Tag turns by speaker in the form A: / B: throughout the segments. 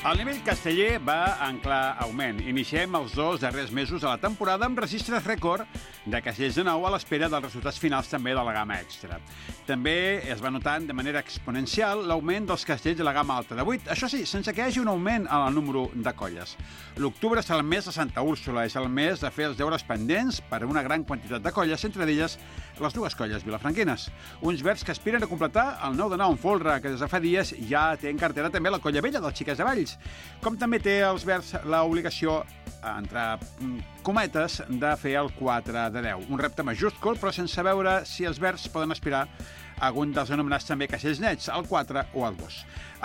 A: El nivell casteller va en clar augment. Iniciem els 2 darrers mesos de la temporada amb registres rècord de castellers de nou a l'espera dels resultats finals també de la gamma extra. També es va notant de manera exponencial l'augment dels castells de la gamma alta de 8. Això sí, sense que hi hagi un augment en el número de colles. L'octubre és el mes de Santa Úrsula, és el mes de fer els deures pendents per a una gran quantitat de colles, entre d'elles les 2 colles vilafranquines. Uns verds que aspiren a completar el 9 de 9 en folre, que des de fa dies ja té en cartera també la colla vella dels Xiques de Valls, com també té els verds l'obligació, entre cometes, de fer el 4 de 10. Un repte majúscul, però sense veure si els verds poden aspirar a algun dels anomenats també castells nets, el 4 o el 2.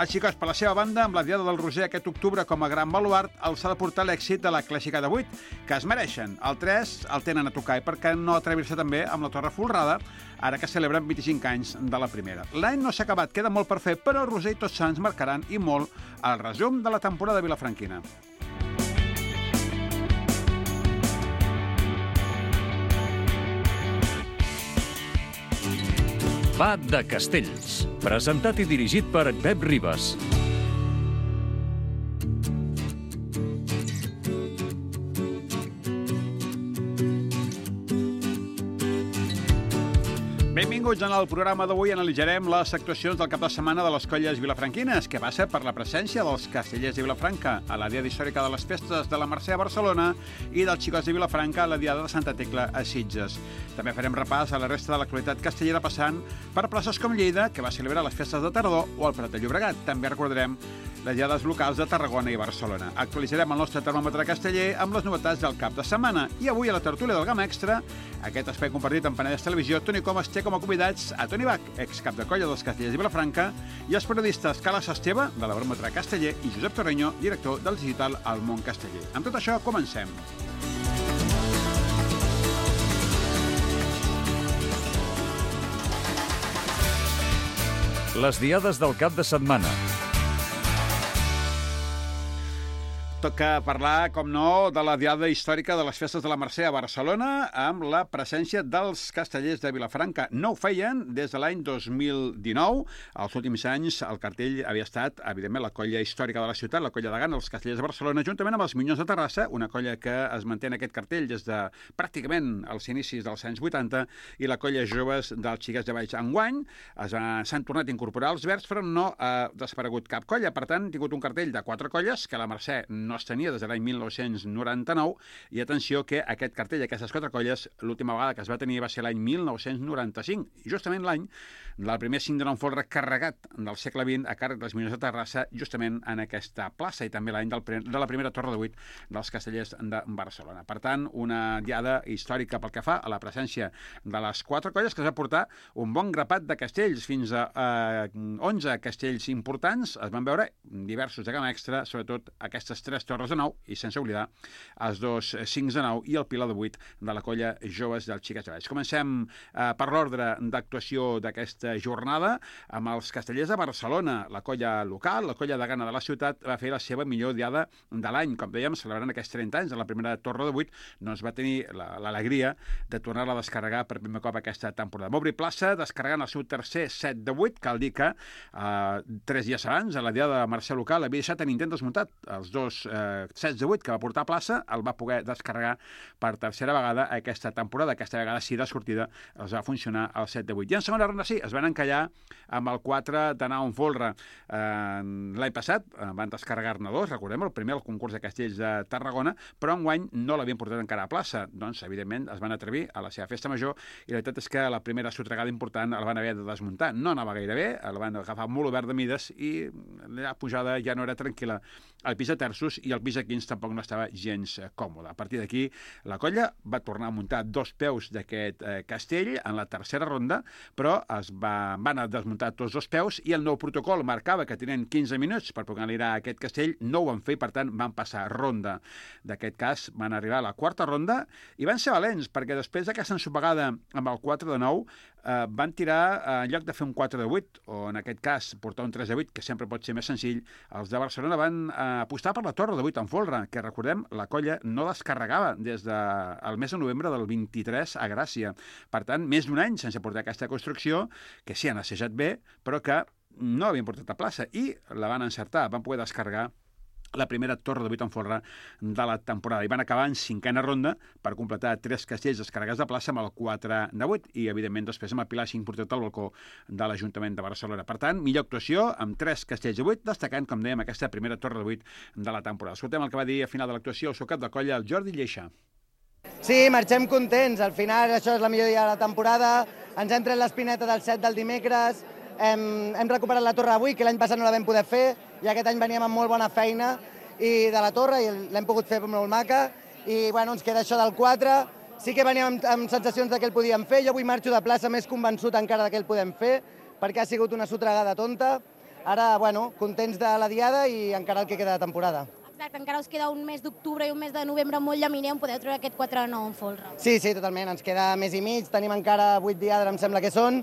A: Els xicots, per la seva banda, amb la Diada del Roser aquest octubre com a gran baluart, els ha de portar l'èxit de la clàssica de 8, que es mereixen. El 3 el tenen a tocar i per què no atrevir-se també amb la Torre Folrada, ara que celebren 25 anys de la primera. L'any no s'ha acabat, queda molt per fer, però el Roser i Tots Sants marcaran i molt el resum de la temporada vilafranquina.
B: Va de Castells, presentat i dirigit per Pep Ribas.
A: Benvinguts en el programa d'avui. Analitzarem les actuacions del cap de setmana de les colles vilafranquines, que passa per la presència dels castellers de Vilafranca a la Diada Històrica de les Festes de la Mercè a Barcelona i dels xicots de Vilafranca a la Diada de Santa Tecla a Sitges. També farem repàs a la resta de l'actualitat castellera passant per places com Lleida, que va celebrar les festes de tardor, o el Prat de Llobregat. També recordarem les diades locals de Tarragona i Barcelona. Actualitzarem el nostre termòmetre casteller amb les novetats del cap de setmana. I avui a la tertúlia del Gamma Extra, aquest espai compartit amb Penedès Televisió, Toni Comas té com a convidats a Toni Bach, excap de colla dels castellers de Vilafranca, i els periodistes Carles Esteve, de la Baròmetre Casteller, i Josep Torreño, director del digital El Món Casteller. Amb tot això, comencem.
B: Les diades del cap de setmana.
A: Toca parlar, com no, de la Diada Històrica de les Festes de la Mercè a Barcelona amb la presència dels castellers de Vilafranca. No ho feien des de l'any 2019. Els últims anys el cartell havia estat, evidentment, la colla històrica de la ciutat, la colla de Gana, els castellers de Barcelona, juntament amb els Minyons de Terrassa, una colla que es manté en aquest cartell des de pràcticament els inicis dels anys 80, i la colla joves dels Xiques de Valls. Enguany s'han tornat a incorporar els verds, però no ha desaparegut cap colla. Per tant, han tingut un cartell de 4 colles, que la Mercè no es tenia des de l'any 1999, i atenció que aquest cartell, aquestes 4 colles, l'última vegada que es va tenir va ser l'any 1995, i justament l'any del primer 5 de 9 folre carregat del segle XX a càrrec dels Minyons de Terrassa, justament en aquesta plaça, i també l'any de la primera torre de 8 dels castellers de Barcelona. Per tant, una diada històrica pel que fa a la presència de les 4 colles, que es va portar un bon grapat de castells, fins a 11 castells importants. Es van veure diversos de gamma extra, sobretot aquestes 3 torres de 9, i sense oblidar els 2 5 de 9 i el pilar de 8 de la colla joves del Xiques de Valls. Comencem per l'ordre d'actuació d'aquesta jornada amb els castellers de Barcelona. La colla local, la colla de Gana de la ciutat, va fer la seva millor diada de l'any. Com dèiem, celebrant aquests 30 anys de la primera torre de 8, doncs va tenir l'alegria de tornar-la a descarregar per primer cop aquesta temporada. Va obrir plaça descarregant el seu tercer set de 8, cal dir que 3 dies abans, a la diada de Mercè local, havia deixat a Nintendo desmuntat els 2 sets de 8 que va portar a plaça, el va poder descarregar per tercera vegada aquesta temporada. Aquesta vegada sí, de sortida, els va funcionar el 7 de 8. I en segona ronda sí, es van encallar amb el 4 de 9 en folre. L'any passat van descarregar-ne 2, recordem, el primer al concurs de castells de Tarragona, però enguany no l'havien portat encara a plaça. Doncs, evidentment, es van atrevir a la seva festa major, i la veritat és que la primera sotregada important el van haver de desmuntar. No anava gaire bé, el van agafar molt obert de mides, i la pujada ja no era tranquil·la al pis de terços, i el pis de 15 tampoc no estava gens còmode. A partir d'aquí, la colla va tornar a muntar 2 peus d'aquest castell en la tercera ronda, però van a desmuntar tots 2 peus, i el nou protocol marcava que tenien 15 minuts per poder anar a aquest castell. No ho van fer, per tant, van passar ronda. D'aquest cas, van arribar a la quarta ronda, i van ser valents, perquè després d'aquesta ensopegada amb el 4 de 9, van tirar, en lloc de fer un 4 de 8, o en aquest cas portar un 3 de 8, que sempre pot ser més senzill, els de Barcelona van apostar per la torre de 8 en folre, que recordem, la colla no descarregava des del mes de novembre del 23 a Gràcia. Per tant, més d'un any sense portar aquesta construcció, que sí han assajat bé, però que no havien portat a plaça, i la van encertar, van poder descarregar la primera torre de 8 en folre de la temporada. I van acabar en 5a ronda per completar 3 castells descarregats de plaça amb el 4 de 8 i, evidentment, després amb el pilar 5 portat al balcó de l'Ajuntament de Barcelona. Per tant, millor actuació amb 3 castells de 8, destacant, com dèiem, aquesta primera torre de 8 de la temporada. Escoltem el que va dir a final de l'actuació el seu cap de colla, el Jordi Lleixa.
C: Sí, marxem contents. Al final això és la millor dia de la temporada. Ens hem tret l'espineta del set del dimecres. Hem recuperat la torre avui, que l'any passat no la vam poder fer, i aquest any veníem amb molt bona feina de la torre i l'hem pogut fer molt maca. I bueno, ens queda això del 4. Sí que veníem amb sensacions de que el podíem fer. Jo avui marxo de plaça més convençut encara de que el podem fer, perquè ha sigut una sotregada tonta. Ara, bueno, contents de la diada i encara el que queda de temporada.
D: Exacte, encara us queda un mes d'octubre i un mes de novembre molt llaminer on podeu treure aquest 4-9 en folre.
C: Sí, totalment. Ens queda mes i mig. Tenim encara 8 diades, em sembla que són,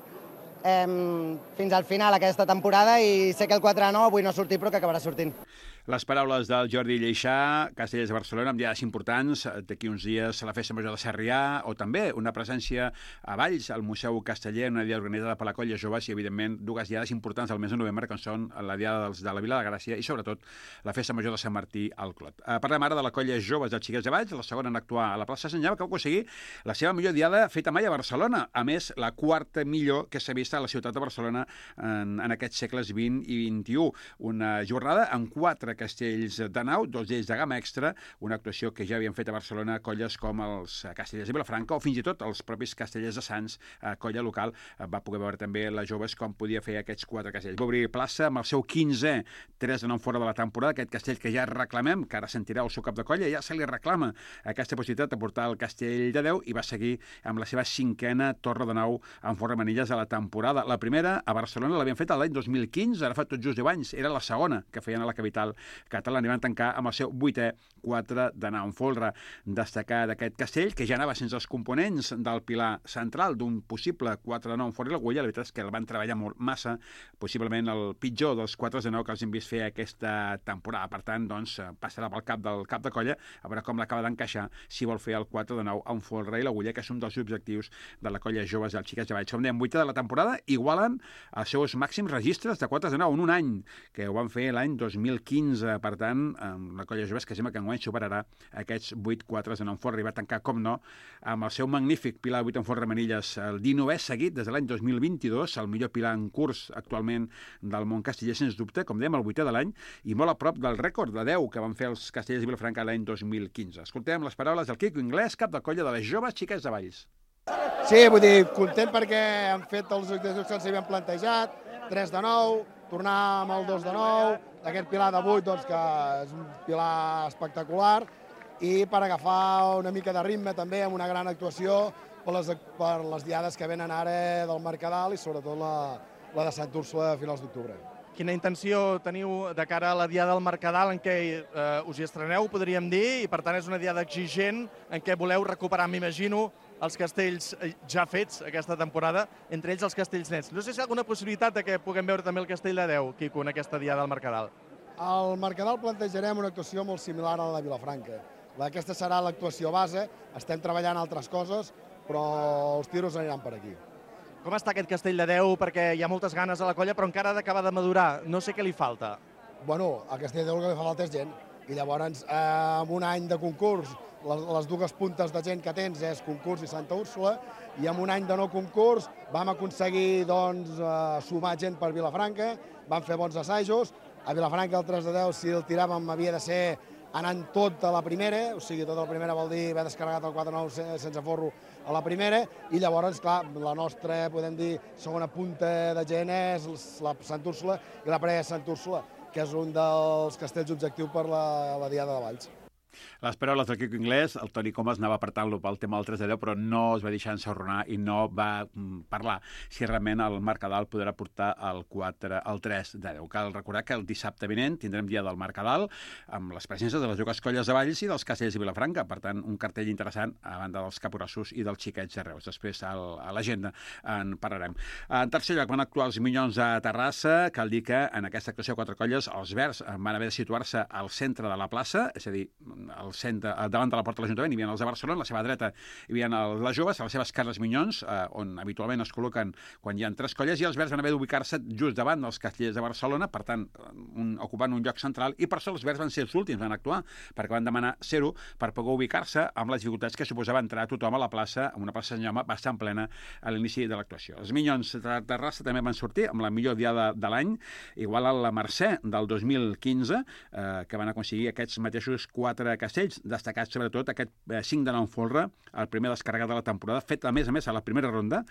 C: fins al final aquesta temporada, i sé que el 4-9 avui no ha sortit, però que acabarà sortint.
A: Les paraules del Jordi Lleixa, Castellers de Barcelona, amb diades importants, d'aquí uns dies la Festa Major de Sarrià, o també una presència a Valls, al Museu Casteller, una diada organitzada per la Colla Joves, i, evidentment, dues diades importants del mes de novembre, que són la diada de la Vila de Gràcia i, sobretot, la Festa Major de Sant Martí al Clot. Parlem ara de la Colla Joves dels Xiquets de Valls, la segona en actuar a la plaça Sant Jaume, que va aconseguir la seva millor diada feta mai a Barcelona. A més, la quarta millor que s'ha vist a la ciutat de Barcelona en aquests segles XX i XXI. Una jornada amb 4 castells de nau, 2 d'ells de gamma extra, una actuació que ja havien fet a Barcelona colles com els Castellers de Vilafranca o fins i tot els propis Castellers de Sants, colla local, va poder veure també les joves com podia fer aquests 4 castells. Va obrir plaça amb el seu 15è 3 de 9 fora de la temporada, aquest castell que ja reclamem, que ara sentirà el seu cap de colla, ja se li reclama aquesta possibilitat de portar el castell de 10 i va seguir amb la seva 5a torre de 9 en forra manilles de la temporada. La primera a Barcelona l'havien fet l'any 2015, ara fa tot just 10 anys, era la segona que feien a la capital catalana i van tancar amb el seu 8è 4 de 9 en folre. Destacar d'aquest castell, que ja anava sense els components del pilar central d'un possible 4 de 9 en folre i l'agulla, la veritat és que el van treballar molt massa, possiblement el pitjor dels 4 de 9 que els hem vist fer aquesta temporada. Per tant, doncs, passarà pel cap del cap de colla a veure com l'acaba d'encaixar si vol fer el 4 de 9 en folre i l'agulla, que és un dels objectius de la Colla Joves dels Xiquets de Valls. Com dèiem, 8è de la temporada, igualen els seus màxims registres de 4 de 9 en un any, que ho van fer l'any 2015. Per tant, la Colla Joves, que sembla que enguany superarà aquests 8 4 de 9 en folre i va tancar, com no, amb el seu magnífic pilar 8 en folre manilles, el 19è seguit des de l'any 2022, el millor pilar en curs actualment del món casteller, sens dubte, com dèiem, el 8è de l'any, i molt a prop del rècord de 10 que van fer els Castellers de Vilafranca l'any 2015. Escoltem les paraules del Quico Inglés, cap de colla de les Joves Xiquets de Valls.
E: Sí, vull dir, content perquè han fet els objectius que ens havien plantejat, 3 de 9, tornar amb el 2 de 9, aquest pilar de 8, doncs, que és un pilar espectacular, i per agafar una mica de ritme també amb una gran actuació per les diades que venen ara del Mercadal i sobretot la de Sant Úrsula a finals d'octubre.
F: Quina intenció teniu de cara a la diada del Mercadal en què us hi estreneu, podríem dir, i per tant és una diada exigent en què voleu recuperar, m'imagino, els castells ja fets aquesta temporada, entre ells els castells nets. No sé si hi ha alguna possibilitat de que puguem veure també el castell de 10, Quico, en aquesta diada del Mercadal.
E: Al Mercadal plantejarem una actuació molt similar a la de Vilafranca. Aquesta serà l'actuació base, estem treballant altres coses, però els tiros aniran per aquí.
F: Com està aquest castell de 10? Perquè hi ha moltes ganes a la colla, però encara ha d'acabar de madurar. No sé què li falta.
E: Bueno, al castell de 10 el que li fa falta és gent. I llavors, en un any de concurs, les dues puntes de gent que tens és concurs i Santa Úrsula, i en un any de no concurs vam aconseguir sumar gent per Vilafranca, vam fer bons assajos. A Vilafranca el 3 de 10, si el tiràvem, havia de ser anant tot a la primera, o sigui, tota la primera vol dir haver descarregat el 4-9 sense forro a la primera, i llavors, clar, la nostra, podem dir, segona punta de gent és la Sant Úrsula i la pre-Sant Úrsula, que és un dels castells objectiu per la Diada de Valls.
A: Les paraules del Quico Inglés, el Toni Comas anava apretant-lo pel tema del 3 de 10, però no es va deixar ensorronar i no va parlar si realment el Mercadal podrà portar el 3 de 10. Cal recordar que el dissabte vinent tindrem dia del Mercadal amb les presències de les dues colles de Valls i dels Castellers de Vilafranca. Per tant, un cartell interessant a banda dels capgrossos i dels xiquets de Reus. Després a l'agenda en parlarem. En tercer lloc van actuar els Minyons a Terrassa. Cal dir que en aquesta actuació 4 colles els verds van haver de situar-se al centre de la plaça, és a dir, davant de la porta de l'Ajuntament, hi havia els de Barcelona, a la seva dreta hi havia les joves, a les seves cares Minyons, on habitualment es col·loquen quan hi ha 3 colles, i els verds van haver d'ubicar-se just davant dels Castellers de Barcelona, per tant, ocupant un lloc central, i per això els verds van ser els últims, van actuar, perquè van demanar ser-ho per poder ubicar-se amb les dificultats que suposava entrar tothom a la plaça, amb una plaça Sant Jaume bastant plena a l'inici de l'actuació. Els Minyons de Terrassa també van sortir amb la millor diada de l'any, igual a la Mercè del 2015, que van aconseguir aquests mateixos 4 castells, destacats sobretot aquest 5 de nou folre, el primer descarregat de la temporada, fet a més a la primera ronda.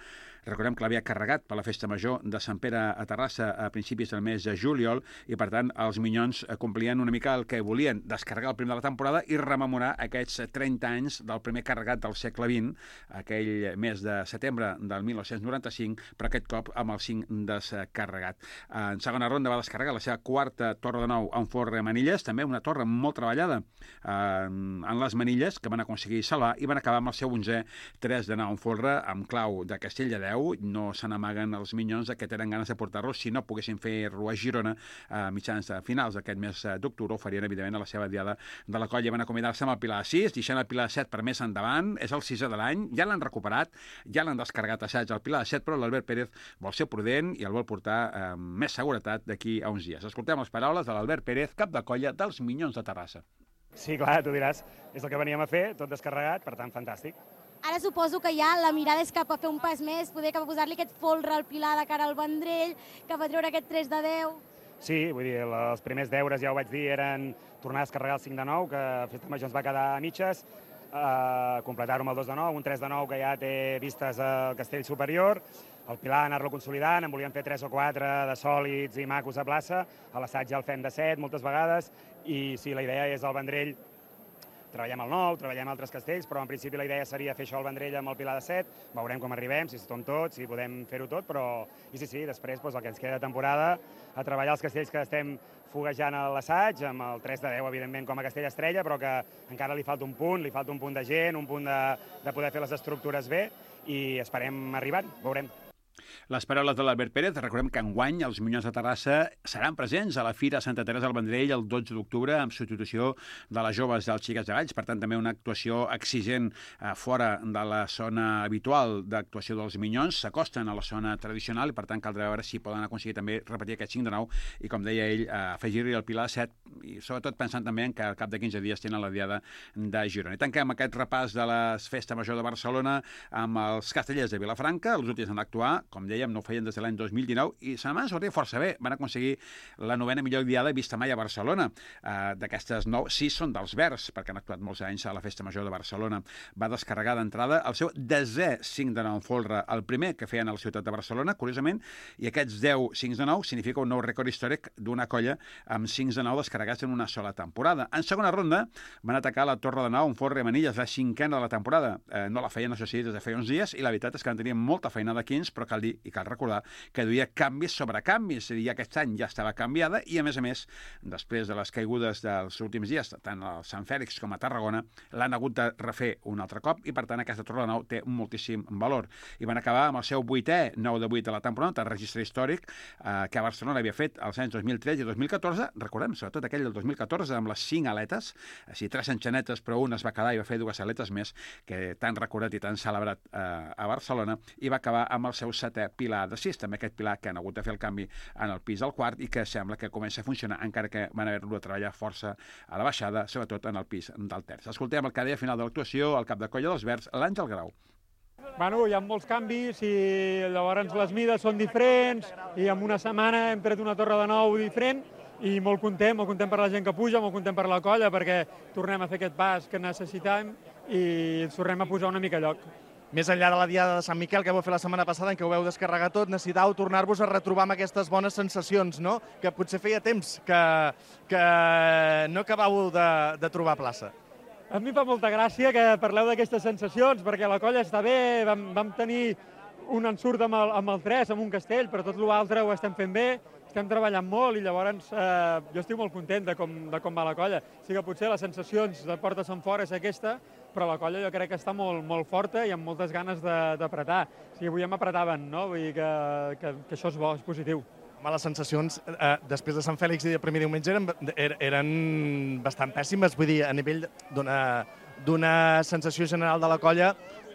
A: Recordem que l'havia carregat per la Festa Major de Sant Pere a Terrassa a principis del mes de juliol, i per tant els Minyons complien una mica el que volien, descarregar el primer de la temporada i rememorar aquests 30 anys del primer carregat del segle XX, aquell mes de setembre del 1995, però aquest cop amb el 5 descarregat. En segona ronda va descarregar la seva 4a torre de nou en forre manilles, també una torre molt treballada en les manilles, que van aconseguir salvar, i van acabar amb el seu 11è 3 de nou en folre amb clau de Castell de Déu. No se n'amaguen els Minyons que tenen ganes de portar-lo. Si no poguessin fer-lo a Girona a mitjans finals d'aquest mes d'octubre, ho farien evidentment a la seva diada de la colla. Van acomiadar-se amb el Pilar 6, deixant el Pilar 7 per més endavant. És el 6è de l'any, ja l'han recuperat, ja l'han descarregat assaig al Pilar 7, però l'Albert Pérez vol ser prudent i el vol portar amb més seguretat d'aquí a uns dies. Escoltem les paraules de l'Albert Pérez, cap de colla dels Minyons de Terrassa.
G: Sí, clar, tu diràs, és el que veníem a fer, tot descarregat, per tant, fantàstic.
D: Ara suposo que ja la mirada és cap a fer un pas més, poder cap a posar-li aquest folre al Pilar de cara al Vendrell, cap a treure aquest 3 de 10...
G: Sí, vull dir, els primers deures, ja ho vaig dir, eren tornar a descarregar el 5 de 9, que a Festa Major ens va quedar a mitges, completar-ho amb el 2 de 9, un 3 de 9 que ja té vistes al castell superior, el Pilar anar-lo consolidant, en volíem fer 3 o 4 de sòlids i macos a plaça, a l'assaig ja el fem de 7 moltes vegades, i sí, la idea és el Vendrell, treballem el 9, treballem altres castells, però en principi la idea seria fer això al Vendrell amb el Pilar de 7, veurem com arribem, si estem tots, si podem fer-ho tot, però i sí, després el que ens queda de temporada, a treballar els castells que estem foguejant a l'assaig, amb el 3 de 10, evidentment, com a castell estrella, però que encara li falta un punt de gent, un punt de poder fer les estructures bé, i esperem arribar, veurem.
A: Les paraules de l'Albert Pérez. Recordem que enguany els Minyons de Terrassa seran presents a la Fira Santa Teresa del Vendrell el 12 d'octubre amb substitució de les joves dels Xiquets de Valls. Per tant, també una actuació exigent fora de la zona habitual d'actuació dels Minyons. S'acosten a la zona tradicional i, per tant, caldrà veure si poden aconseguir també repetir aquest 5 de 9 i, com deia ell, afegir-hi el Pilar 7 i, sobretot, pensant també que al cap de 15 dies tenen la diada de Girona. I tanquem aquest repàs de la Festa Major de Barcelona amb els Castellers de Vilafranca. Els últims han d'actuar, com dèiem, no ho feien des de l'any 2019 i se van sortir força bé. Van aconseguir la 9a millor diada vista mai a Barcelona. D'aquestes 9, 6 són dels verds, perquè han actuat molts anys a la Festa Major de Barcelona. Va descarregar d'entrada el seu 10è 5 de 9 en folre, el primer que feien a la ciutat de Barcelona, curiosament, i aquests 10 5 de 9 significa un nou rècord històric d'una colla amb 5 de 9 descarregats en una sola temporada. En segona ronda van atacar la Torre de 9 en folre Manilles, la 5a de la temporada. No la feien, això sí, des de feia uns dies, i la veritat és que en tenien molta feina de 15, però cal dir i cal recordar que duia canvis sobre canvis, és a dir, aquest any ja estava canviada i, a més, després de les caigudes dels últims dies, tant a Sant Fèlix com a Tarragona, l'han hagut de refer un altre cop i, per tant, aquesta torre de 9 té moltíssim valor. I van acabar amb el seu 8è 9 de 8 de la temporada, el registre històric que a Barcelona havia fet als anys 2013 i 2014, recordem, sobretot aquell del 2014, amb les 5 aletes, així 3 enxanetes, però una es va quedar i va fer 2 aletes més, que tan recordat i tan celebrat a Barcelona, i va acabar amb el seu 7è Pilar de 6, també aquest Pilar que han hagut de fer el canvi en el pis del quart i que sembla que comença a funcionar, encara que van haver-lo de treballar força a la baixada, sobretot en el pis del terç. Escoltem el que deia a final de l'actuació el cap de colla dels Verds, l'Àngel Grau.
H: Bueno, hi ha molts canvis i llavors les mides són diferents i en una setmana hem tret una torre de 9 diferent i molt content per la gent que puja, molt content per la colla perquè tornem a fer aquest pas que necessitem i ens tornem a posar una mica a lloc.
F: Més enllà de la diada de Sant Miquel que vau fer la setmana passada en què ho veu descarregar tot, necessitàveu tornar-vos a retrobar amb aquestes bones sensacions, no? Que potser feia temps que no acabàveu de trobar plaça.
H: A mi fa molta gràcia que parleu d'aquestes sensacions, perquè la colla està bé, vam tenir un ensurt amb el 3, amb un castell, però tot l'altre ho estem fent bé, estem treballant molt i llavors jo estic molt content de com va la colla. Sí que potser les sensacions de portes enfora és aquesta, però la colla jo crec que està molt forta i amb moltes ganes d'apretar. O sigui, avui hem apretaven, no? Vull dir que això és bo, és positiu.
F: Home, les sensacions després de Sant Fèlix i de primer diumenge eren bastant pèssimes, vull dir, a nivell d'una sensació general de la colla,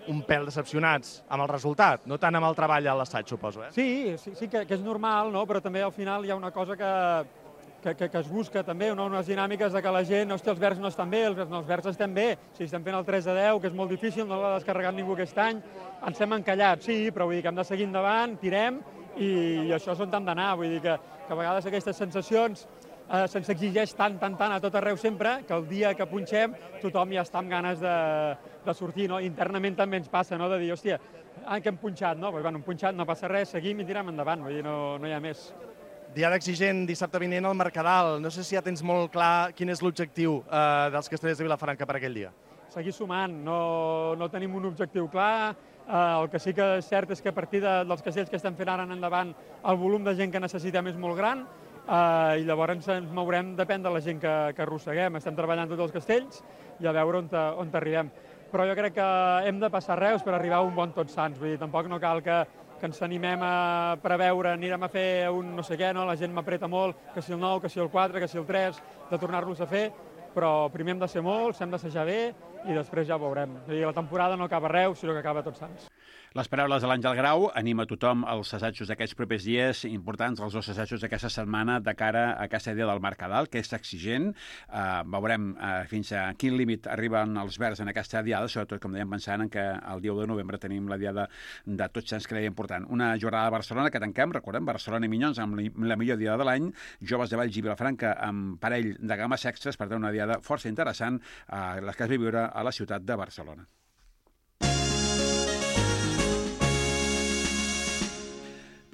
F: un pèl decepcionats amb el resultat, no tant amb el treball a l'assaig, suposo, eh?
H: Sí que és normal, no? Però també al final hi ha una cosa que es busca també, unes dinàmiques de que la gent, hosti, els verds no estan bé, els verds estem bé, si estem fent el 3-10, que és molt difícil, no l'ha descarregat ningú aquest any, ens hem encallat, sí, però vull dir que hem de seguir endavant, tirem, i això és on hem d'anar, vull dir que a vegades aquestes sensacions se'ns exigeix tant a tot arreu sempre, que el dia que punxem tothom ja està amb ganes de sortir, no? Internament també ens passa, no?, de dir, hòstia, que hem punxat, no? Doncs, bueno, hem punxat, no passa res, seguim i tirem endavant, vull dir, no hi ha més.
F: Diada exigent, dissabte vinent al Mercadal. No sé si ja tens molt clar quin és l'objectiu dels Castellers de Vilafranca per aquell dia.
H: Seguir sumant, no tenim un objectiu clar. El que sí que és cert és que a partir dels castells que estem fent ara en endavant, el volum de gent que necessitem és molt gran i llavors ens mourem, depèn de la gent que arrosseguem. Estem treballant tots els castells i a veure on arribem. Però jo crec que hem de passar Reus per arribar a un bon Tots Sants. Vull dir, tampoc no cal que ens animem a preveure, anirem a fer un no sé què, no? La gent m'apreta molt, que si el 9, que si el 4, que si el 3, de tornar-los a fer, però primer hem de ser molts, hem d'assajar bé i després ja ho veurem. És a dir, la temporada no acaba a Reus, sinó que acaba a Tots Sants.
A: Les paraules de l'Àngel Grau anima tothom als assajos d'aquests propers dies importants, els 2 assajos d'aquesta setmana de cara a aquesta idea del Mercadal, que és exigent. Veurem fins a quin límit arriben els verds en aquesta diada, sobretot, com dèiem, pensant en que el dia 1 de novembre tenim la diada de Tots Sants, que era important. Una jornada a Barcelona que tanquem, recordem, Barcelona i Minyons amb la millor diada de l'any, Joves de Valls i Vilafranca amb parell de games extres, per tant una diada força interessant, la que es va viure a la ciutat de Barcelona.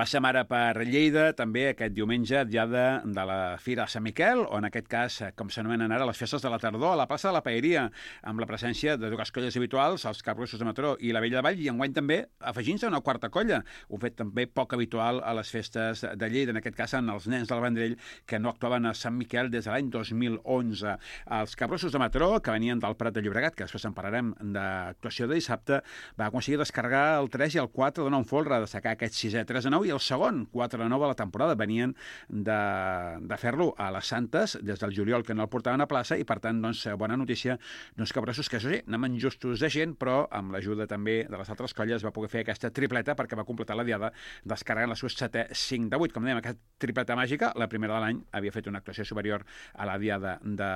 A: Passem ara per Lleida, també aquest diumenge, diada de la Fira de Sant Miquel, o en aquest cas, com s'anomenen ara, les festes de la tardor, a la plaça de la Paeria, amb la presència de 2 colles habituals, els Capgrossos de Mataró i la Vella de Vall, i enguany també afegint-se una 4a colla, un fet també poc habitual a les festes de Lleida, en aquest cas en els nens del Vendrell, que no actuaven a Sant Miquel des de l'any 2011. Els Capgrossos de Mataró, que venien del Prat de Llobregat, que després en parlarem d'actuació de dissabte, va aconseguir descarregar el 3 i el 4 de nou folre, destacar aquest 6è 3-9 i el segon 4-9 a la temporada. Venien de fer-lo a les Santes des del juliol, que no el portaven a plaça, i per tant, doncs, bona notícia d'uns Capgrossos que, això sí, anaven justos de gent, però amb l'ajuda també de les altres colles va poder fer aquesta tripleta perquè va completar la diada descarregant la seu 7è 5-8. Com dèiem, aquesta tripleta màgica, la primera de l'any, havia fet una actuació superior a la diada de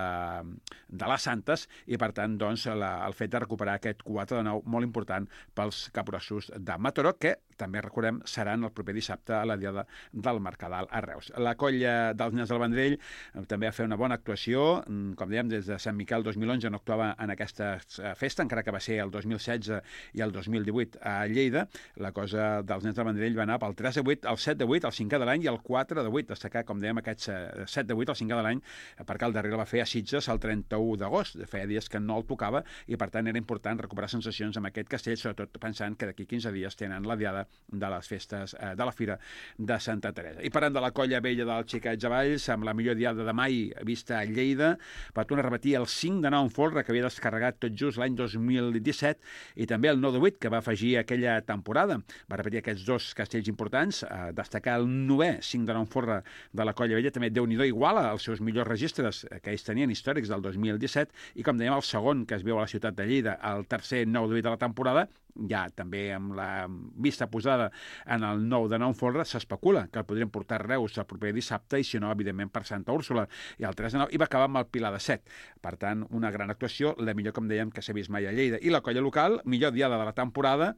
A: les Santes i, per tant, doncs, el fet de recuperar aquest 4-9 molt important pels Capgrossos de Mataró, que també recordem seran el proper dissabte a la diada del Mercadal a Reus. La colla dels nens del Vendrell també va fer una bona actuació, com dèiem, des de Sant Miquel 2011 no actuava en aquesta festa, encara que va ser el 2016 i el 2018 a Lleida. La cosa dels nens del Vendrell va anar pel 3-8, el 7-8, el 5è de l'any i el 4-8, destacar, com dèiem, aquests 7-8, el 5è de l'any, perquè el darrer el va fer a Sitges el 31 d'agost, feia dies que no el tocava i per tant era important recuperar sensacions amb aquest castell, sobretot pensant que d'aquí 15 dies tenen la diada de les festes de la Fira de Santa Teresa. I parlant de la colla vella del Xiquets de Valls, amb la millor diada de mai vista a Lleida, va tornar a repetir el 5-9 en folre que havia descarregat tot just l'any 2017 i també el 9-8 que va afegir aquella temporada. Va repetir aquests 2 castells importants, destacar el 9è 5-9 en folre de la colla vella, també Déu-n'hi-do iguala els seus millors registres que ells tenien històrics del 2017 i, com dèiem, el segon que es veu a la ciutat de Lleida, el tercer 9-8 de la temporada, ja també amb la vista posada en el 9-9 folre, s'especula que el podrien portar a Reus el proper dissabte i, si no, evidentment, per Santa Úrsula. I el 3-9 i va acabar amb el Pilar de 7. Per tant, una gran actuació, la millor, com dèiem, que s'ha vist mai a Lleida. I la colla local, millor diada de la temporada,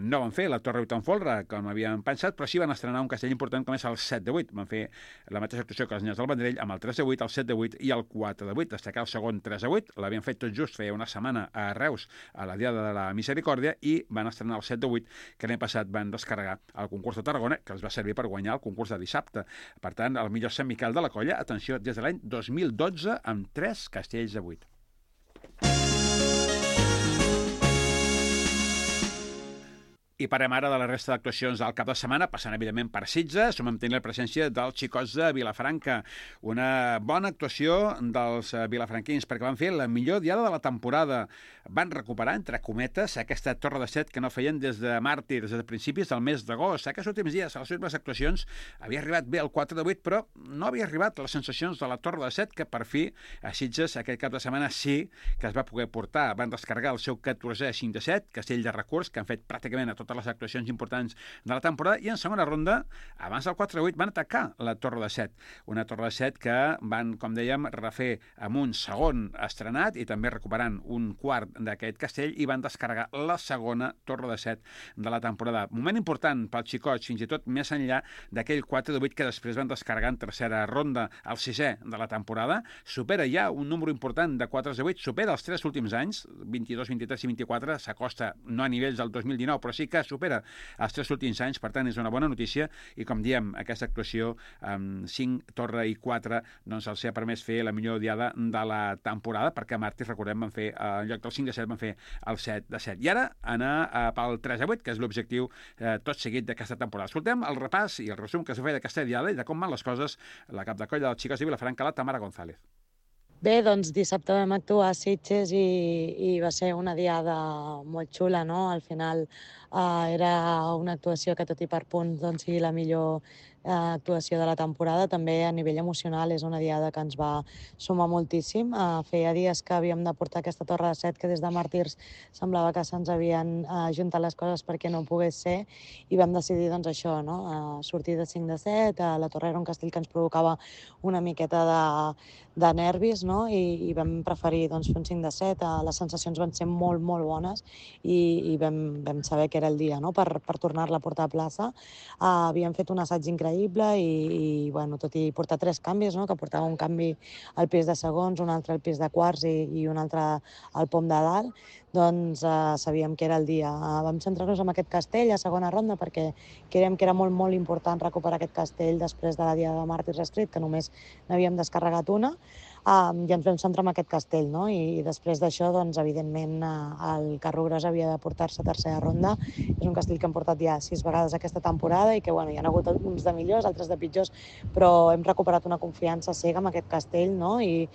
A: no van fer la Torre 8 en folre, com havien pensat, però sí van estrenar un castell important com és el 7-8. Van fer la mateixa actuació que els nens del Vendrell amb el 3-8, el 7-8 i el 4-8. Destacar el segon 3-8, l'havien fet tot just feia una setmana a Reus, a la diada de la Misericòrdia, i van estrenar el 7-8, que l'any passat van descarregar el concurs de Tarragona, que els va servir per guanyar el concurs de dissabte. Per tant, el millor Sant Miquel de la colla, atenció, des de l'any 2012, amb 3 castells de 8. I parem ara de la resta d'actuacions del cap de setmana, passant evidentment per Sitges, on vam tenir la presència dels xicots de Vilafranca. Una bona actuació dels vilafranquins, perquè van fer la millor diada de la temporada. Van recuperar, entre cometes, aquesta torre de set que no feien des de màrtirs, des de principis del mes d'agost. Aquests últims dies, a les últimes actuacions, havia arribat bé el 4 de 8, però no havia arribat les sensacions de la torre de set, que per fi a Sitges aquest cap de setmana sí que es va poder portar. Van descarregar el seu 14è 5 de 7, castell de recurs, que han fet pràcticament a totes les actuacions importants de la temporada, i en segona ronda, abans del 4-8, van atacar la torre de 7. Una torre de 7 que van, com dèiem, refer amb un segon estrenat i també recuperant un quart d'aquest castell, i van descarregar la segona torre de 7 de la temporada. Moment important pels xicots, fins i tot més enllà d'aquell 4-8 que després van descarregar en tercera ronda, el 6è de la temporada. Supera ja un número important de 4-8, supera els 3 últims anys, 22, 23 i 24, s'acosta no a nivells del 2019, però sí que supera els 3 últims anys, per tant és una bona notícia, i com diem, aquesta actuació amb 5, torre i 4, doncs els ha permès fer la millor diada de la temporada, perquè a Màrtirs, recordem, van fer, en lloc del 5 de 7, van fer el 7 de 7. I ara anar pel 3 a 8, que és l'objectiu tot seguit d'aquesta temporada. Escoltem el repàs i el resum que s'ha fet d'aquesta diada i de com van les coses la cap de colla dels xicots de Vilafranca, la Tamara González.
I: Bé, doncs dissabte vam actuar a Sitges i va ser una diada molt xula, no? Al final era una actuació que tot i per punts doncs, sigui la millor actuació de la temporada. També a nivell emocional és una diada que ens va sumar moltíssim. Feia dies que havíem de portar aquesta torre de set, que des de Màrtirs semblava que se'ns havien juntat les coses perquè no pogués ser, i vam decidir doncs, això, no? Sortir de 5 de 7, la torre era un castell que ens provocava una miqueta de nervis, no? I vam preferir doncs, fer un 5 de 7. Les sensacions van ser molt, molt bones i vam saber que era el dia, no? per tornar-la a portar a plaça. Havíem fet un assaig increïble i bueno, tot i portar 3 canvis, no? Que portava un canvi al pis de segons, un altre al pis de quarts i un altre al pom de dalt, doncs sabíem que era el dia. Vam centrar-nos en aquest castell a segona ronda perquè creiem que era molt, molt important recuperar aquest castell després de la diada de Màrtirs Street, que només n'havíem descarregat una, i ens vam centrar en aquest castell, no? I després d'això, doncs, evidentment, el Carro Gros havia de portar-se a tercera ronda. És un castell que hem portat ja 6 vegades aquesta temporada i que, bueno, hi ha hagut uns de millors, altres de pitjors, però hem recuperat una confiança cega amb aquest castell, no? I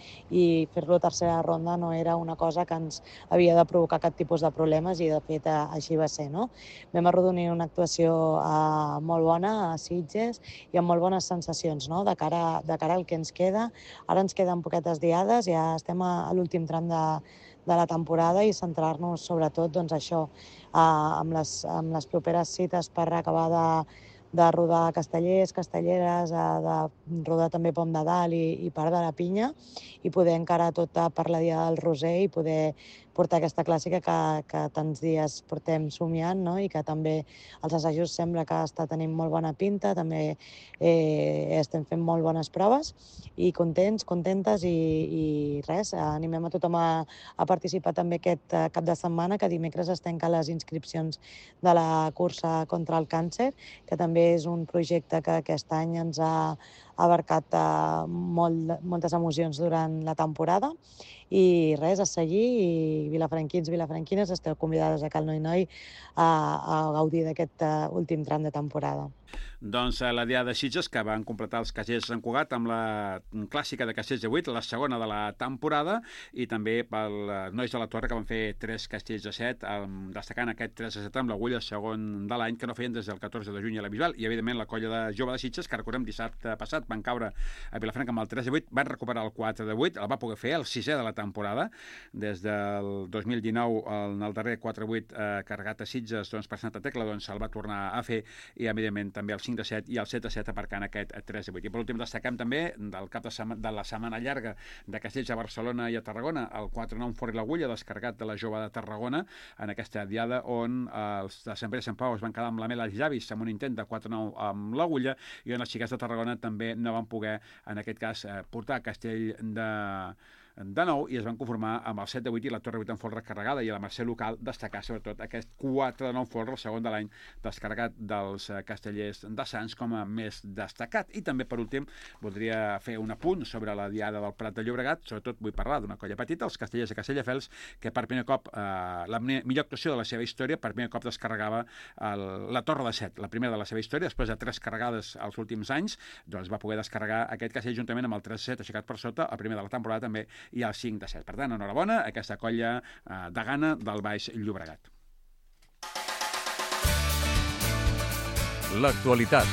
I: fer-lo a tercera ronda no era una cosa que ens havia de provocar cap tipus de problemes, i de fet així va ser, no? Vam arrodonir una actuació molt bona a Sitges i amb molt bones sensacions, no? De cara al que ens queda. Ara ens queden poquetes diades, ja estem a l'últim tram de la temporada, i centrar-nos sobretot doncs, això, amb les properes cites per acabar de rodar castellers, castelleres, de rodar també Pom de Dalt i part de la Pinya, i poder encarar tot per la Diada del Roser i poder portar aquesta clàssica que tants dies portem somiant, no? I que també els assajos sembla que està tenint molt bona pinta, també estem fent molt bones proves, i contents, contentes, i res, animem a tothom a participar també aquest cap de setmana, que dimecres es tanquen les inscripcions de la cursa contra el càncer, que també és un projecte que aquest any ens ha abarcat moltes emocions durant la temporada. I res, a seguir, i vilafranquins, vilafranquines, esteu convidades a Cal Noi a gaudir d'aquest últim tram de temporada.
A: Doncs la Diada de Sitges, que van completar els castells de Sant Cugat amb la clàssica de castells de 8, la segona de la temporada, i també pels nois de la Torre, que van fer 3 castells de 7, destacant aquest 3 de 7 amb l'agulla segon de l'any, que no feien des del 14 de juny a la Bisbal. I evidentment la colla de jove de Sitges, que recordem dissabte passat van caure a Vilafranca amb el 3 de 8, van recuperar el 4 de 8, el va poder fer el 6è de la temporada, des del 2019 en el darrer 4-8 carregat a Sitges per Santa Tecla, doncs el va tornar a fer, i evidentment també el 5 de 7 i el 7 de 7 aparcant aquest 3 de 8. I per últim destaquem també del cap de la setmana llarga de castells a Barcelona i a Tarragona, el 4-9 fora l'agulla, descarregat de la jove de Tarragona, en aquesta diada on els de Sant Pere i Sant Pau es van quedar amb la mel als llavis amb un intent de 4-9 amb l'agulla, i on els xiquets de Tarragona també no van poder, en aquest cas, portar castell de nou i es van conformar amb el 7 de 8 i la Torre 8 en folre carregada, i a la Mercè local destacar sobretot aquest 4 de 9 folre, el segon de l'any descarregat dels Castellers de Sants com a més destacat. I també, per últim, voldria fer un apunt sobre la Diada del Prat de Llobregat. Sobretot vull parlar d'una colla petita, els Castellers de Castelldefels, que per primer cop, la millor actuació de la seva història, per primer cop descarregava la Torre de Set, la primera de la seva història, després de 3 carregades als últims anys, doncs va poder descarregar aquest castell juntament amb el 3-7 aixecat per sota, el primer de la temporada també, i el 5-7. Per tant, enhorabona a aquesta colla de Gana del Baix Llobregat.
B: L'actualitat.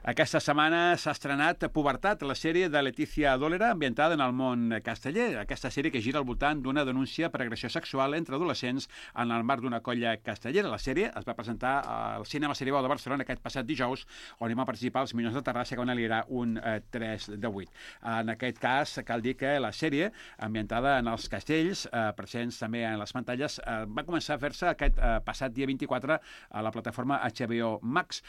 A: Aquesta setmana s'ha estrenat Pubertat, la sèrie de Letícia Dólera ambientada en el món casteller. Aquesta sèrie que gira al voltant d'una denúncia per agressió sexual entre adolescents en el marc d'una colla castellera. La sèrie es va presentar al Cinema Seribau de Barcelona aquest passat dijous, on hi van participar els Minyons de Terrassa, que van aliar un 3 de 8. En aquest cas, cal dir que la sèrie, ambientada en els castells, presents també en les pantalles, va començar a fer-se aquest passat dia 24 a la plataforma HBO Max.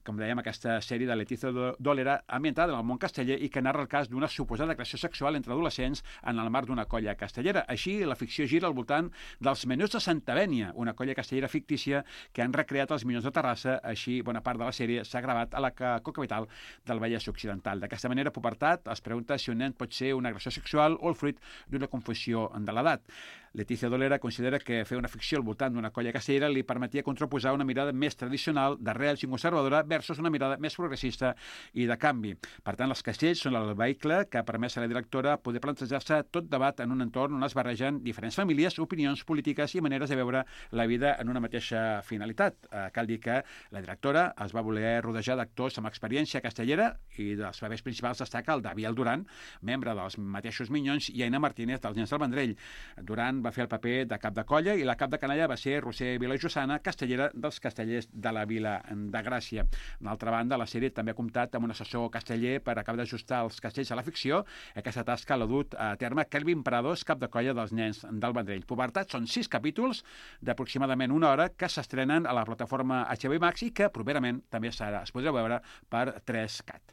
A: Com dèiem, aquesta sèrie de Letícia Dólera ambientada en el món casteller i que narra el cas d'una suposada agressió sexual entre adolescents en el marc d'una colla castellera. Així, la ficció gira al voltant dels Menuts de Santa Bènia, una colla castellera fictícia que han recreat els Minyons de Terrassa. Així, bona part de la sèrie s'ha gravat a la cocapital del Vallès Occidental. D'aquesta manera, Pubertat es pregunta si un nen pot ser una agressió sexual o el fruit d'una confusió de l'edat. Letícia Dólera considera que fer una ficció al voltant d'una colla castellera li permetia contraposar una mirada més tradicional, d'arrels i conservadora, versus una mirada més progressista i de canvi. Per tant, els castells són el vehicle que ha permès a la directora poder plantejar-se tot debat en un entorn on es barregen diferents famílies, opinions polítiques i maneres de veure la vida en una mateixa finalitat. Cal dir que la directora es va voler rodejar d'actors amb experiència castellera i dels papers principals destaca el Daviel Duran, membre dels mateixos Minyons, i Aina Martínez dels Nens del Vendrell. Duran va fer el paper de cap de colla i la cap de canalla va ser Roser Vilajossana, castellera dels Castellers de la Vila de Gràcia. D'altra banda, la sèrie també ha comptat amb un assessor casteller per acabar d'ajustar els castells a la ficció. Aquesta tasca l'ha dut a terme Kelvin Prados, cap de colla dels Nens del Vendrell. Pubertat són 6 capítols d'aproximadament 1 hora que s'estrenen a la plataforma HBO Max i que properament també es podrà veure per 3Cat.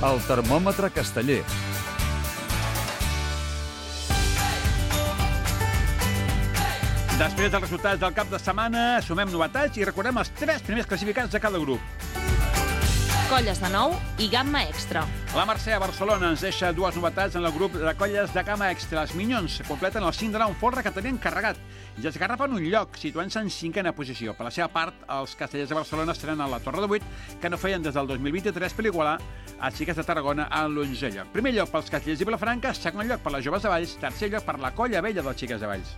B: El termòmetre casteller.
A: Després dels resultats del cap de setmana, sumem novetats i recordem els 3 primers classificats de cada grup.
J: Colles de nou i gamma extra.
A: La Mercè a Barcelona ens deixa 2 novetats en el grup de colles de gamma extra. Els Minyons completen el 5 de 9 folre que tenien carregat i es garrapen un lloc, situant-se en 5a posició. Per la seva part, els Castellers de Barcelona estrenen la Torre de 8, que no feien des del 2023 per igualar els Xiques de Tarragona en l'11è lloc. Primer lloc pels Castellers de Vilafranca, segon lloc per les Joves de Valls, tercer lloc per la Colla Vella dels Xiques de Valls.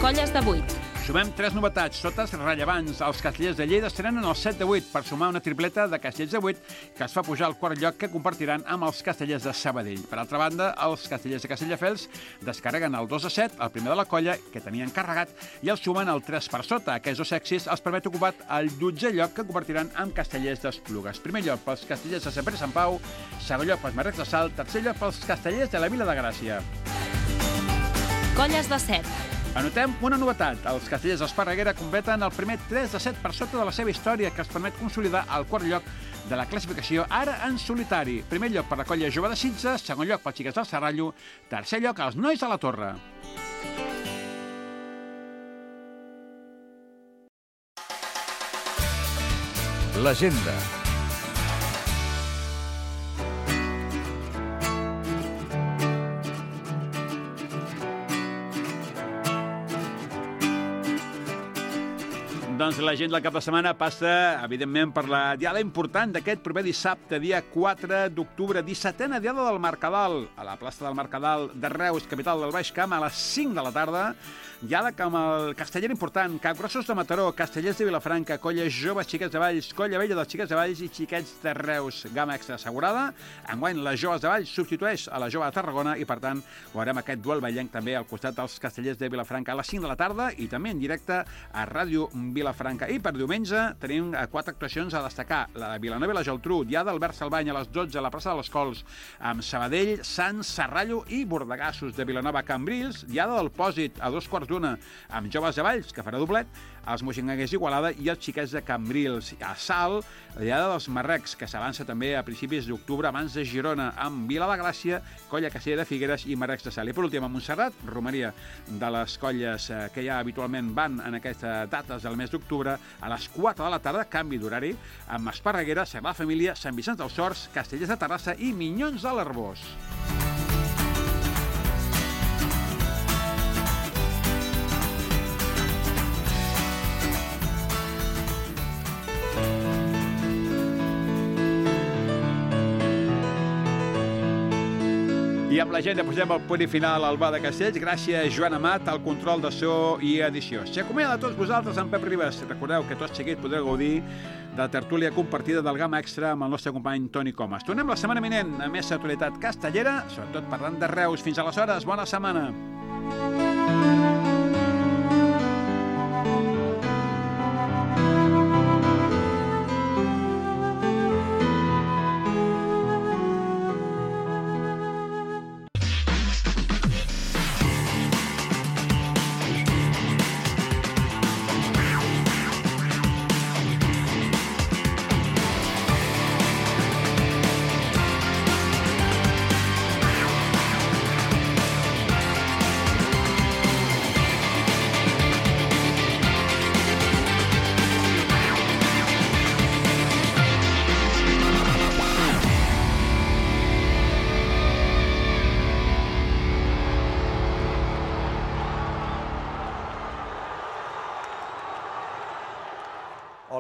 J: Colles de 8.
A: Sumem 3 novetats, totes rellevants. Els Castellers de Lleida estrenen el 7 de 8 per sumar una tripleta de Castellers de 8 que es fa pujar al quart lloc que compartiran amb els Castellers de Sabadell. Per altra banda, els Castellers de Castelldefels descarreguen el 2 de 7, el primer de la colla, que tenien carregat, i el sumen el 3 per sota. Aquests 2 èxits els permet ocupar el 12è lloc que compartiran amb Castellers d'Esplugues. Primer lloc pels Castellers de Sant Pere i Sant Pau, segon lloc pels Marrecs de Salt, tercer lloc pels Castellers de la Vila de Gràcia.
J: Colles de 7.
A: Anotem una novetat. Els Castellers d'Esparreguera completen el primer 3 de 7 per sota de la seva història, que els permet consolidar el quart lloc de la classificació, ara en solitari. Primer lloc per la colla Jove de Sitges, segon lloc pels Xiques del Serrallo, tercer lloc els Nois de la Torre.
B: L'agenda.
A: Doncs l'agenda del cap de setmana passa, evidentment, per la diada important d'aquest proper dissabte, dia 4 d'octubre, 17a diada del Mercadal, a la plaça del Mercadal de Reus, capital del Baix Camp, a les 5 de la tarda. Diada amb el casteller important, Capgrossos de Mataró, Castellers de Vilafranca, Colla Joves Xiquets de Valls, Colla Vella dels Xiquets de Valls i Xiquets de Reus. Gamma extra assegurada. Enguany, les Joves de Valls substitueix a la Jove de Tarragona i, per tant, veurem aquest duel vallenc també al costat dels Castellers de Vilafranca a les 5 de la tarda i també en directe a Ràdio Vilafranca. Vilafranca. I per diumenge tenim 4 actuacions a destacar. La de Vilanova i la Geltrú, Diada d'Albert Salvany a les 12 a la plaça de les Cols, amb Sabadell, Sants, Serrallo i Bordegassos. De Vilanova, Cambrils, Diada del Pòsit a 2:15 amb Joves de Valls, que farà doblet, els Moixinguers d'Igualada i els Xiquets de Cambrils. A Salt, la Diada dels Marrecs, que s'avança també a principis d'octubre abans de Girona, amb Vila de Gràcia, Colla Castellera de Figueres i Marrecs de Salt. I per últim, a Montserrat, romeria de les colles que ja habitualment van en aquestes dates del mes d'octubre, a les 4 de la tarda, canvi d'horari, amb Esparreguera, Sagrada Família, Sant Vicenç dels Horts, Castellers de Terrassa i Minyons de l'Arboç. I amb la gent posem el punt i final al Bar de Castells. Gràcies, Joan Amat, al control de so i edició. S'acomiada de tots vosaltres amb Pep Ribas. Recordeu que tot seguit podreu gaudir de la tertúlia compartida del Gamma Extra amb el nostre company Toni Comas. Tornem la setmana vinent a més actualitat castellera, sobretot parlant de Reus. Fins aleshores, bona setmana.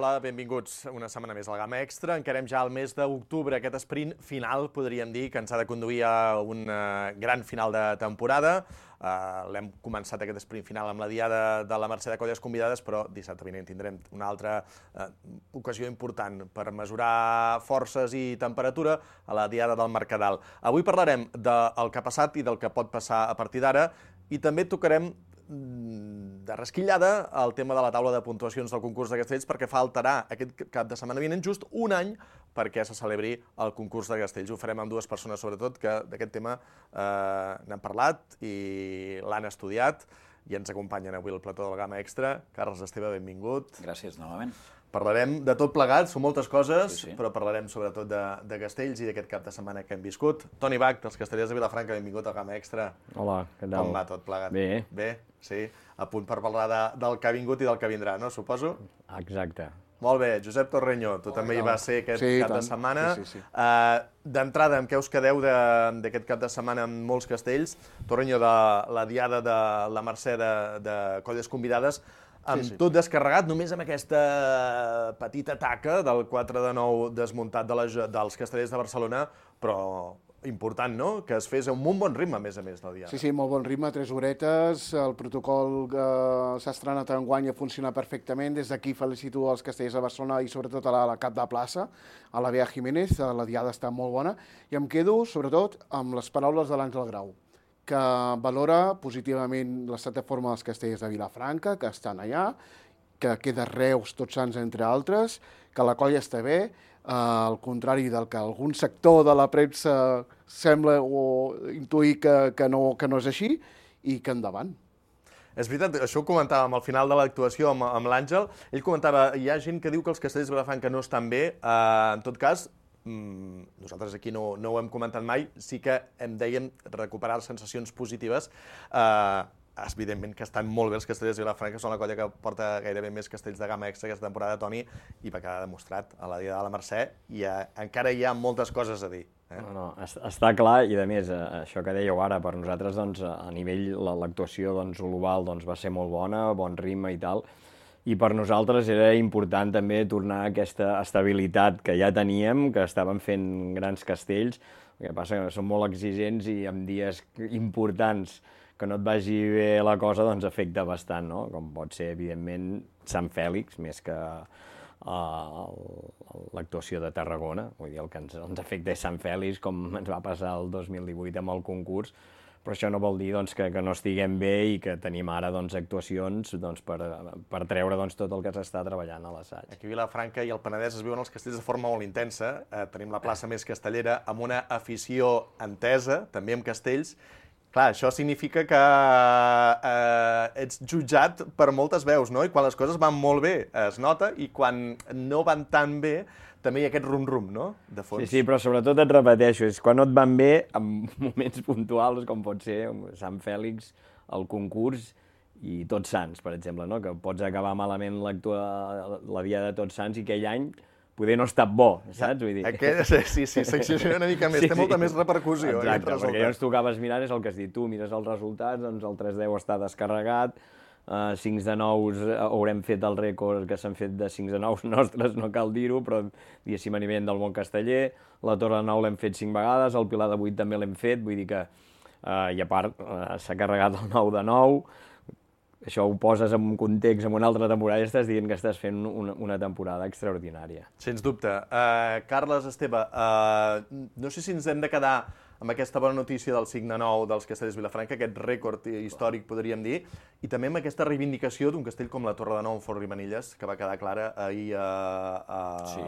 F: Hola, benvinguts una setmana més al Gamma Extra. Encarem ja el mes d'octubre, aquest sprint final, podríem dir, que ens ha de conduir a un gran final de temporada. L'hem començat aquest sprint final amb la Diada de la Mercè de Colles Convidades, però dissabte vinent tindrem una altra ocasió important per mesurar forces i temperatura a la Diada del Mercadal. Avui parlarem del que ha passat i del que pot passar a partir d'ara, i també tocarem de resquillada el tema de la taula de puntuacions del concurs de Castells, perquè faltarà aquest cap de setmana vinent just un any perquè se celebri el concurs de Castells. Ho farem amb dues persones, sobretot, que d'aquest tema n'han parlat i l'han estudiat i ens acompanyen avui al plató del Gamma Extra. Carles Esteve, benvingut.
K: Gràcies, novament.
F: Parlarem de tot plegat, són moltes coses, però parlarem sobretot de Castells i d'aquest cap de setmana que hem viscut. Toni Bach, dels Castellers de Vilafranca, benvingut al Gamma Extra.
L: Hola, què tal?
F: Com va tot plegat?
L: Bé.
F: Bé, sí. A punt per parlar del que ha vingut i del que vindrà, no? Suposo?
L: Exacte.
F: Molt bé. Josep Torreño, tu també hi vas ser aquest cap de setmana.
L: Sí.
F: D'entrada, amb què us quedeu d'aquest cap de setmana amb molts castells? Torreño, de la Diada de la Mercè de Colles Convidades, amb tot descarregat, només amb aquesta petita taca del 4 de 9 desmuntat dels Castellers de Barcelona, però important, no?, que es fes amb un bon ritme, a més, del dia.
M: Sí, molt bon ritme, 3 horetes, el protocol que s'ha estrenat enguany ha funcionat perfectament. Des d'aquí felicito els Castellers de Barcelona i sobretot a la cap de plaça, a la Bea Jiménez, la diada està molt bona, i em quedo, sobretot, amb les paraules de l'Àngel Grau, que valora positivament l'estat de forma dels Castellers de Vilafranca, que estan allà, que queda Reus, Tots Sants, entre altres, que la colla està bé, al contrari del que algun sector de la premsa sembla o intuir que no és així, i que endavant.
F: És veritat, això ho comentàvem al final de l'actuació amb l'Àngel. Ell comentava, hi ha gent que diu que els Castellers de Vilafranca no estan bé. En tot cas, nosaltres aquí no ho hem comentat mai, sí que hem, dèiem, recuperar sensacions positives. Evidentment que estan molt bé els Castellers de Vilafranca, són la colla que porta gairebé més castells de gamma extra aquesta temporada, Toni, i va quedar demostrat a la Diada de la Mercè, i encara hi ha moltes coses a dir.
L: No, està clar, i a més, això que dèieu ara, per nosaltres, doncs, a nivell, l'actuació global va ser molt bona, bon ritme i tal, i per nosaltres era important també tornar a aquesta estabilitat que ja teníem, que estàvem fent grans castells. El que passa que som molt exigents i en dies importants que no et vagi bé la cosa, doncs afecta bastant, no? Com pot ser, evidentment, Sant Fèlix, més que l'actuació de Tarragona. Vull dir, el que ens afecta és Sant Fèlix, com ens va passar el 2018 amb el concurs, però això no vol dir doncs, que no estiguem bé i que tenim ara doncs, actuacions doncs, per treure doncs, tot el que s'està treballant a l'assaig.
F: Aquí a Vilafranca i al Penedès es viuen els castells de forma molt intensa. Tenim la plaça més castellera amb una afició entesa, també amb castells. Clar, això significa que ets jutjat per moltes veus, no? I quan les coses van molt bé es nota, i quan no van tan bé també hi ha aquest rum-rum, no?, de fons.
L: Sí, però sobretot et repeteixo, és quan no et van bé, en moments puntuals, com pot ser Sant Fèlix, el concurs, i Tots Sants, per exemple, no?, que pots acabar malament la Diada de Tots Sants i aquell any poder no ha estat bo, saps? Vull dir...
F: Sí, s'exagera una mica més, té molta més repercussió.
L: Exacte, perquè llavors tu acabes mirant, és el que has dit tu, mires els resultats, doncs el 3-10 està descarregat, 5 de 9 haurem fet el rècord que s'han fet de 5 de 9 nostres, no cal dir-ho, però diguéssim a nivell del món casteller, la Torre de 9 l'hem fet 5 vegades, el Pilar de 8 també l'hem fet, vull dir que, i a part, s'ha carregat el 9 de 9, això ho poses en un context, en una altra temporada, i estàs dient que estàs fent una temporada extraordinària.
F: Sens dubte. Carles, Esteve, no sé si ens hem de quedar amb aquesta bona notícia del 5 de 9 dels castellers de Vilafranca, aquest rècord històric, podríem dir, i també amb aquesta reivindicació d'un castell com la Torre de 9 en Fort Rimanilles, que va quedar clara ahir a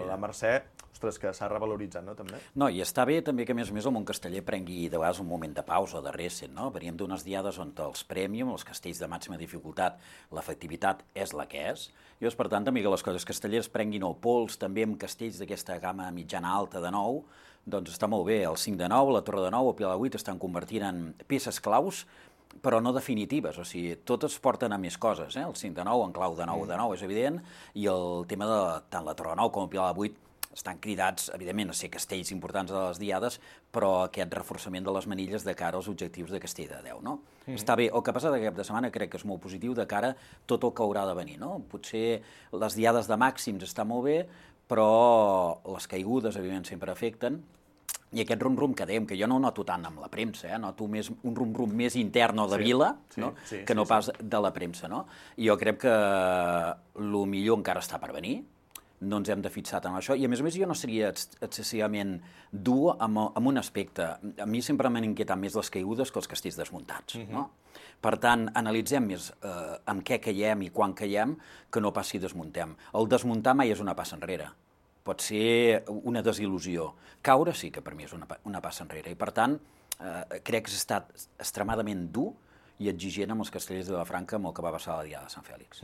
F: la Mercè, ostres, que s'ha revaloritzat, no, també?
K: No, i està bé també que, a més, el món casteller prengui de vegades un moment de pausa, de reset, no? Veníem d'unes diades on els premium, els castells de màxima dificultat, l'efectivitat és la que és, i llavors, per tant, també que les coses castelleres prenguin el pols, també amb castells d'aquesta gamma mitjana-alta de 9, doncs està molt bé. El 5 de 9, la Torre de 9, el Pilar de 8 estan convertint en peces claus, però no definitives, o sigui, totes porten a més coses, el 5 de 9 en clau de 9, és evident, i el tema de tant la Torre de 9 com el Pilar de 8 estan cridats, evidentment, a ser castells importants a les diades, però aquest reforçament de les manilles de cara als objectius de castell de 10, no? Està bé. El que passa aquest cap de setmana crec que és molt positiu de cara a tot el que haurà de venir, no? Potser les diades de màxims està molt bé, però les caigudes, evidentment, sempre afecten, i aquest rum-rum que dèiem, que jo no ho noto tant amb la premsa, noto un rum-rum més intern o de vila, que no pas de la premsa, no? I jo crec que el millor encara està per venir, no ens hem de fixar tant en això, i a més jo no seria excessivament dur amb un aspecte. A mi sempre m'han inquietat més les caigudes que els castells desmuntats, no? Per tant, analitzem més amb què caiem i quan caiem que no pas si desmuntem. El desmuntar mai és una passa enrere. Pot ser una desil·lusió. Caure sí que per mi és una passa enrere. I per tant, crec que s'ha estat extremadament dur i exigent amb els castellers de Vilafranca amb el que va passar a la Diada de Sant Fèlix.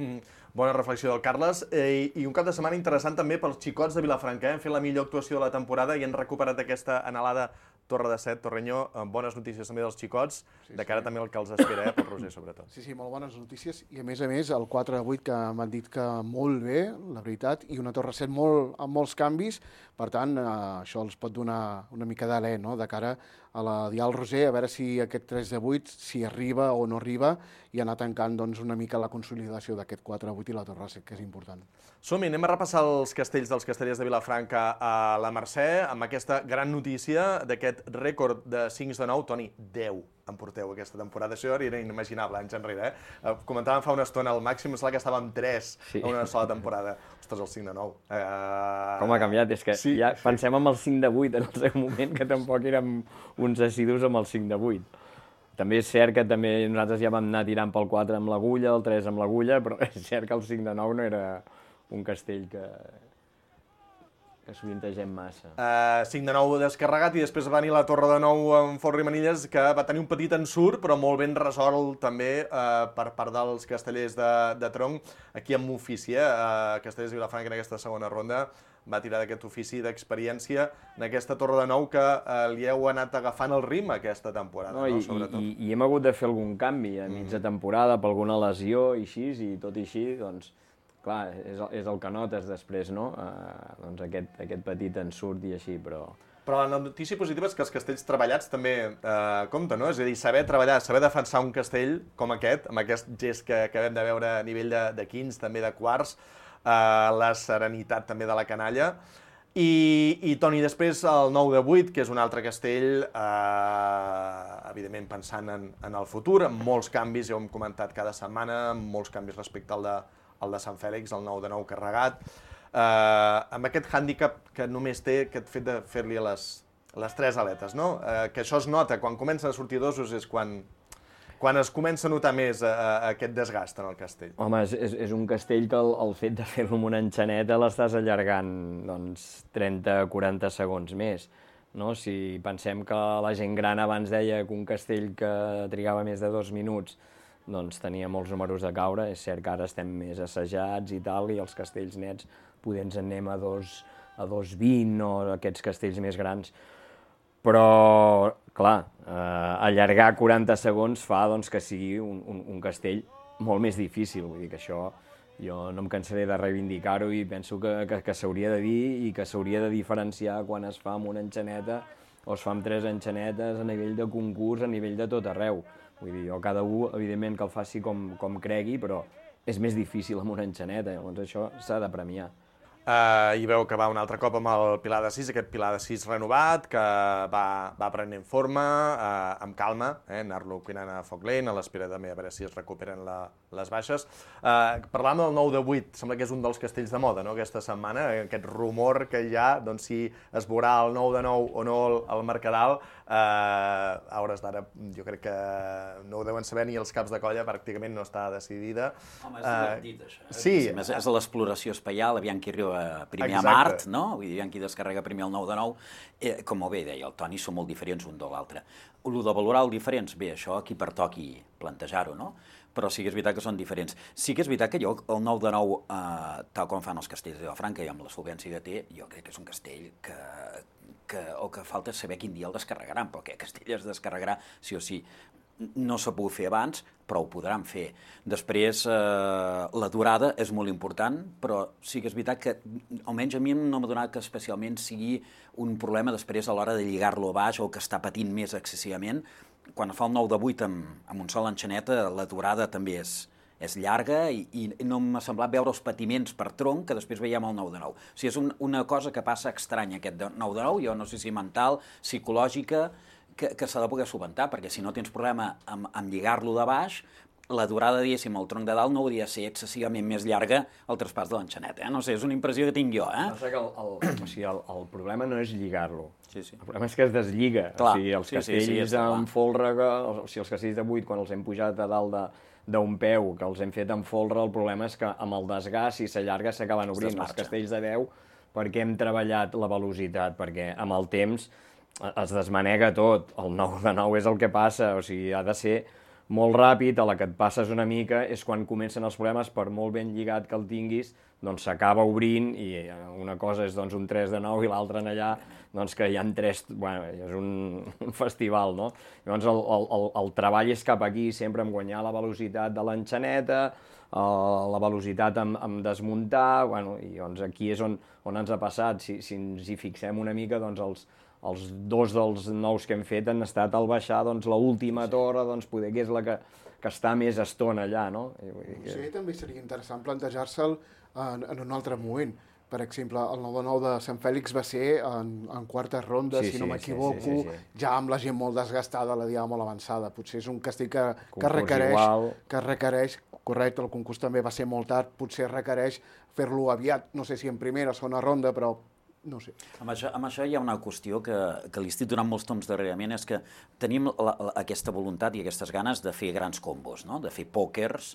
F: Bona reflexió del Carles. I un cap de setmana interessant també pels xicots de Vilafranca. Hem fet la millor actuació de la temporada i han recuperat aquesta anhelada Torre de Set, Torrenyó, amb bones notícies també dels xicots, de cara també al que els espera, pel Roser, sobretot.
M: Sí, molt bones notícies. I a més, el 4 de 8, que m'han dit que molt bé, la veritat, i una Torre 7 amb molts canvis. Per tant, això els pot donar una mica d'alè, no?, de cara a la Diada del Roser, a veure si aquest 3 de 8, si arriba o no arriba, i anar tancant doncs, una mica la consolidació d'aquest 4 de 8 i la Torre 7, que és important.
F: Som-hi, anem a repassar els castells dels castellers de Vilafranca a la Mercè, amb aquesta gran notícia d'aquest rècord de 5 de 9. Toni, 10 en porteu aquesta temporada. Això era inimaginable anys enrere. Comentàvem fa una estona, el màxim és que estàvem 3 en una sola temporada. Ostres, el 5 de 9.
L: Com ha canviat? És que ja pensem en el 5 de 8 en el seu moment, que tampoc érem uns assidus amb el 5 de 8. També és cert que també nosaltres ja vam anar tirant pel 4 amb l'agulla, el 3 amb l'agulla, però és cert que el 5 de 9 no era un castell que sovintegem massa.
F: 5 de 9 descarregat i després va venir la Torre de 9 en Fort Rimanilles, que va tenir un petit ensurt, però molt ben resolt també per part dels castellers de tronc. Aquí amb ofici, Castellers de Vilafranca en aquesta segona ronda va tirar d'aquest ofici d'experiència en aquesta Torre de 9 que li heu anat agafant el ritme aquesta temporada, sobretot.
L: I hem hagut de fer algun canvi a mitja temporada per alguna lesió i així, i tot i així, doncs, clar, és el que notes després, no? Doncs aquest petit ensurt i així, però...
F: Però la notícia positiva és que els castells treballats també compten, no? És a dir, saber treballar, saber defensar un castell com aquest, amb aquest gest que acabem de veure a nivell de quins, també de quarts, la serenitat també de la canalla. I Toni, després el 9 de 8, que és un altre castell, evidentment pensant en el futur, amb molts canvis, ja ho hem comentat cada setmana, amb molts canvis respecte al de Sant Fèlix, el 9 de 9 carregat, amb aquest hàndicap que només té aquest fet de fer-li a les les 3 aletes, no? Que això es nota, quan comencen a sortir dosos és quan es comença a notar més aquest desgast en el castell.
L: Home, és un castell que el fet de fer-lo amb una enxaneta l'estàs allargant, doncs, 30-40 segons més, no? Si pensem que la gent gran abans deia que un castell que trigava més de 2 minuts doncs tenia molts números de caure, és cert que ara estem més assajats i tal, i els castells nets poder ens en anem a 2,20 o aquests castells més grans. Però, clar, allargar 40 segons fa doncs, que sigui un castell molt més difícil. Vull dir que això jo no em cansaré de reivindicar-ho i penso que s'hauria de dir i que s'hauria de diferenciar quan es fa amb una enxaneta o es fa amb 3 enxanetes a nivell de concurs, a nivell de tot arreu. Vull dir, jo cada un, evidentment, que el faci com cregui, però és més difícil amb una enxaneta, llavors això s'ha de premiar.
F: I veu que va un altre cop amb el Pilar de 6, aquest Pilar de 6 renovat, que va prenent forma, amb calma, anar-lo cuinant a foc lent, a l'espera també a veure si es recuperen les baixes. Parlant del 9 de 8, sembla que és un dels castells de moda, no?, aquesta setmana, aquest rumor que hi ha, doncs si es veurà el 9 de 9 o no al Mercadal, a hores d'ara jo crec que no ho deuen saber ni els caps de colla, pràcticament no està decidida.
K: Home, és divertit, això.
F: Sí.
K: És l'exploració espaial, aviam qui arriba primer a Mart, no? Vull dir, aviam qui descarrega primer el 9 de 9. Com molt bé deia el Toni, són molt diferents un de l'altre. El de valorar el diferents, bé, això a qui pertoqui plantejar-ho, no? Però sí que és veritat que són diferents. Sí que és veritat que jo, el 9 de 9, tal com fan els castells de Vilafranca i amb la solvència que té, jo crec que és un castell el que falta és saber quin dia el descarregaran, però aquest castell es descarregarà sí o sí. No s'ha pogut fer abans, però ho podran fer. Després, la durada és molt important, però sí que és veritat que, almenys a mi no m'ha donat que especialment sigui un problema després a l'hora de lligar-lo a baix o que està patint més excessivament. Quan fa el 9 de 8 amb un sol enxaneta, la durada també és llarga i no m'ha semblat veure els patiments per tronc que després veiem el 9 de 9. O sigui, és una cosa que passa estranya, aquest 9 de 9, jo no sé si mental, psicològica, que s'ha de poder solventar, perquè si no tens problema amb lligar-lo de baix, la durada, diguéssim, el tronc de dalt no hauria de ser excessivament més llarga el traspàs de l'enxaneta. No sé, és una impressió que tinc jo.
L: Passa que el problema no és lligar-lo. El problema és que es deslliga. O sigui, els castells amb folre, o sigui, els castells de 8, quan els hem pujat a dalt d'un peu, que els hem fet amb folre, el problema és que amb el desgast, si s'allarga, s'acaben obrint. Els castells de 10, perquè hem treballat la velocitat, perquè amb el temps es desmanega tot. El 9 de 9 és el que passa, o sigui, ha de ser molt ràpid, a la que et passes una mica és quan comencen els problemes, per molt ben lligat que el tinguis, doncs s'acaba obrint i una cosa és doncs, un 3 de 9 i l'altra en allà, doncs que hi ha 3, bueno, és un festival, no? Llavors el treball és cap aquí, sempre en guanyar la velocitat de l'enxaneta, la velocitat en desmuntar, bueno, i doncs aquí és on ens ha passat, si ens hi fixem una mica, doncs els 2 dels 9 que hem fet han estat al baixar l'última torre, poder que és la que està més estona allà, no?
M: Sí, també seria interessant plantejar-se'l en un altre moment. Per exemple, el 9 de 9 de Sant Fèlix va ser en quartes rondes, si no m'equivoco, ja amb la gent molt desgastada, la diada molt avançada. Potser és un castell que requereix, correcte, el concurs també va ser molt tard, potser requereix fer-lo aviat, no sé si en primera o segona ronda, però no sé.
K: Amb això hi ha una qüestió que li estic donant molts toms darrerament, és que tenim aquesta voluntat i aquestes ganes de fer grans combos, no? De fer pòquers,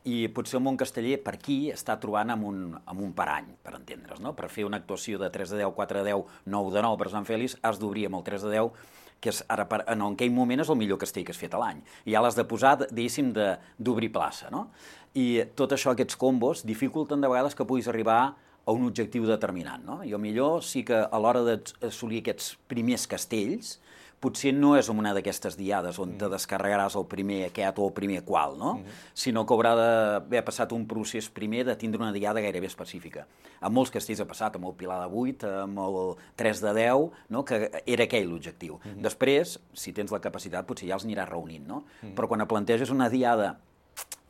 K: i potser el món casteller per aquí està trobant amb un parany, per entendre's, no? Per fer una actuació de 3 de 10, 4 de 10, 9 de 9 per Sant Fèlix, has d'obrir amb el 3 de 10, que és ara, en aquell moment és el millor castell que has fet a l'any. I ja l'has de posar, diguéssim, d'obrir plaça, no? I tot això, aquests combos, dificulten de vegades que puguis arribar a un objectiu determinat, no? I millor sí que a l'hora d'assolir aquests primers castells, potser no és una d'aquestes diades on te descarregaràs el primer aquest o el primer qual, no? Sinó que haurà d'haver passat un procés primer de tindre una diada gairebé específica. Amb molts castells ha passat, amb el Pilar de 8, amb el 3 de 10, no? Que era aquell l'objectiu. Després, si tens la capacitat, potser ja els aniràs reunint, no? Però quan planteges una diada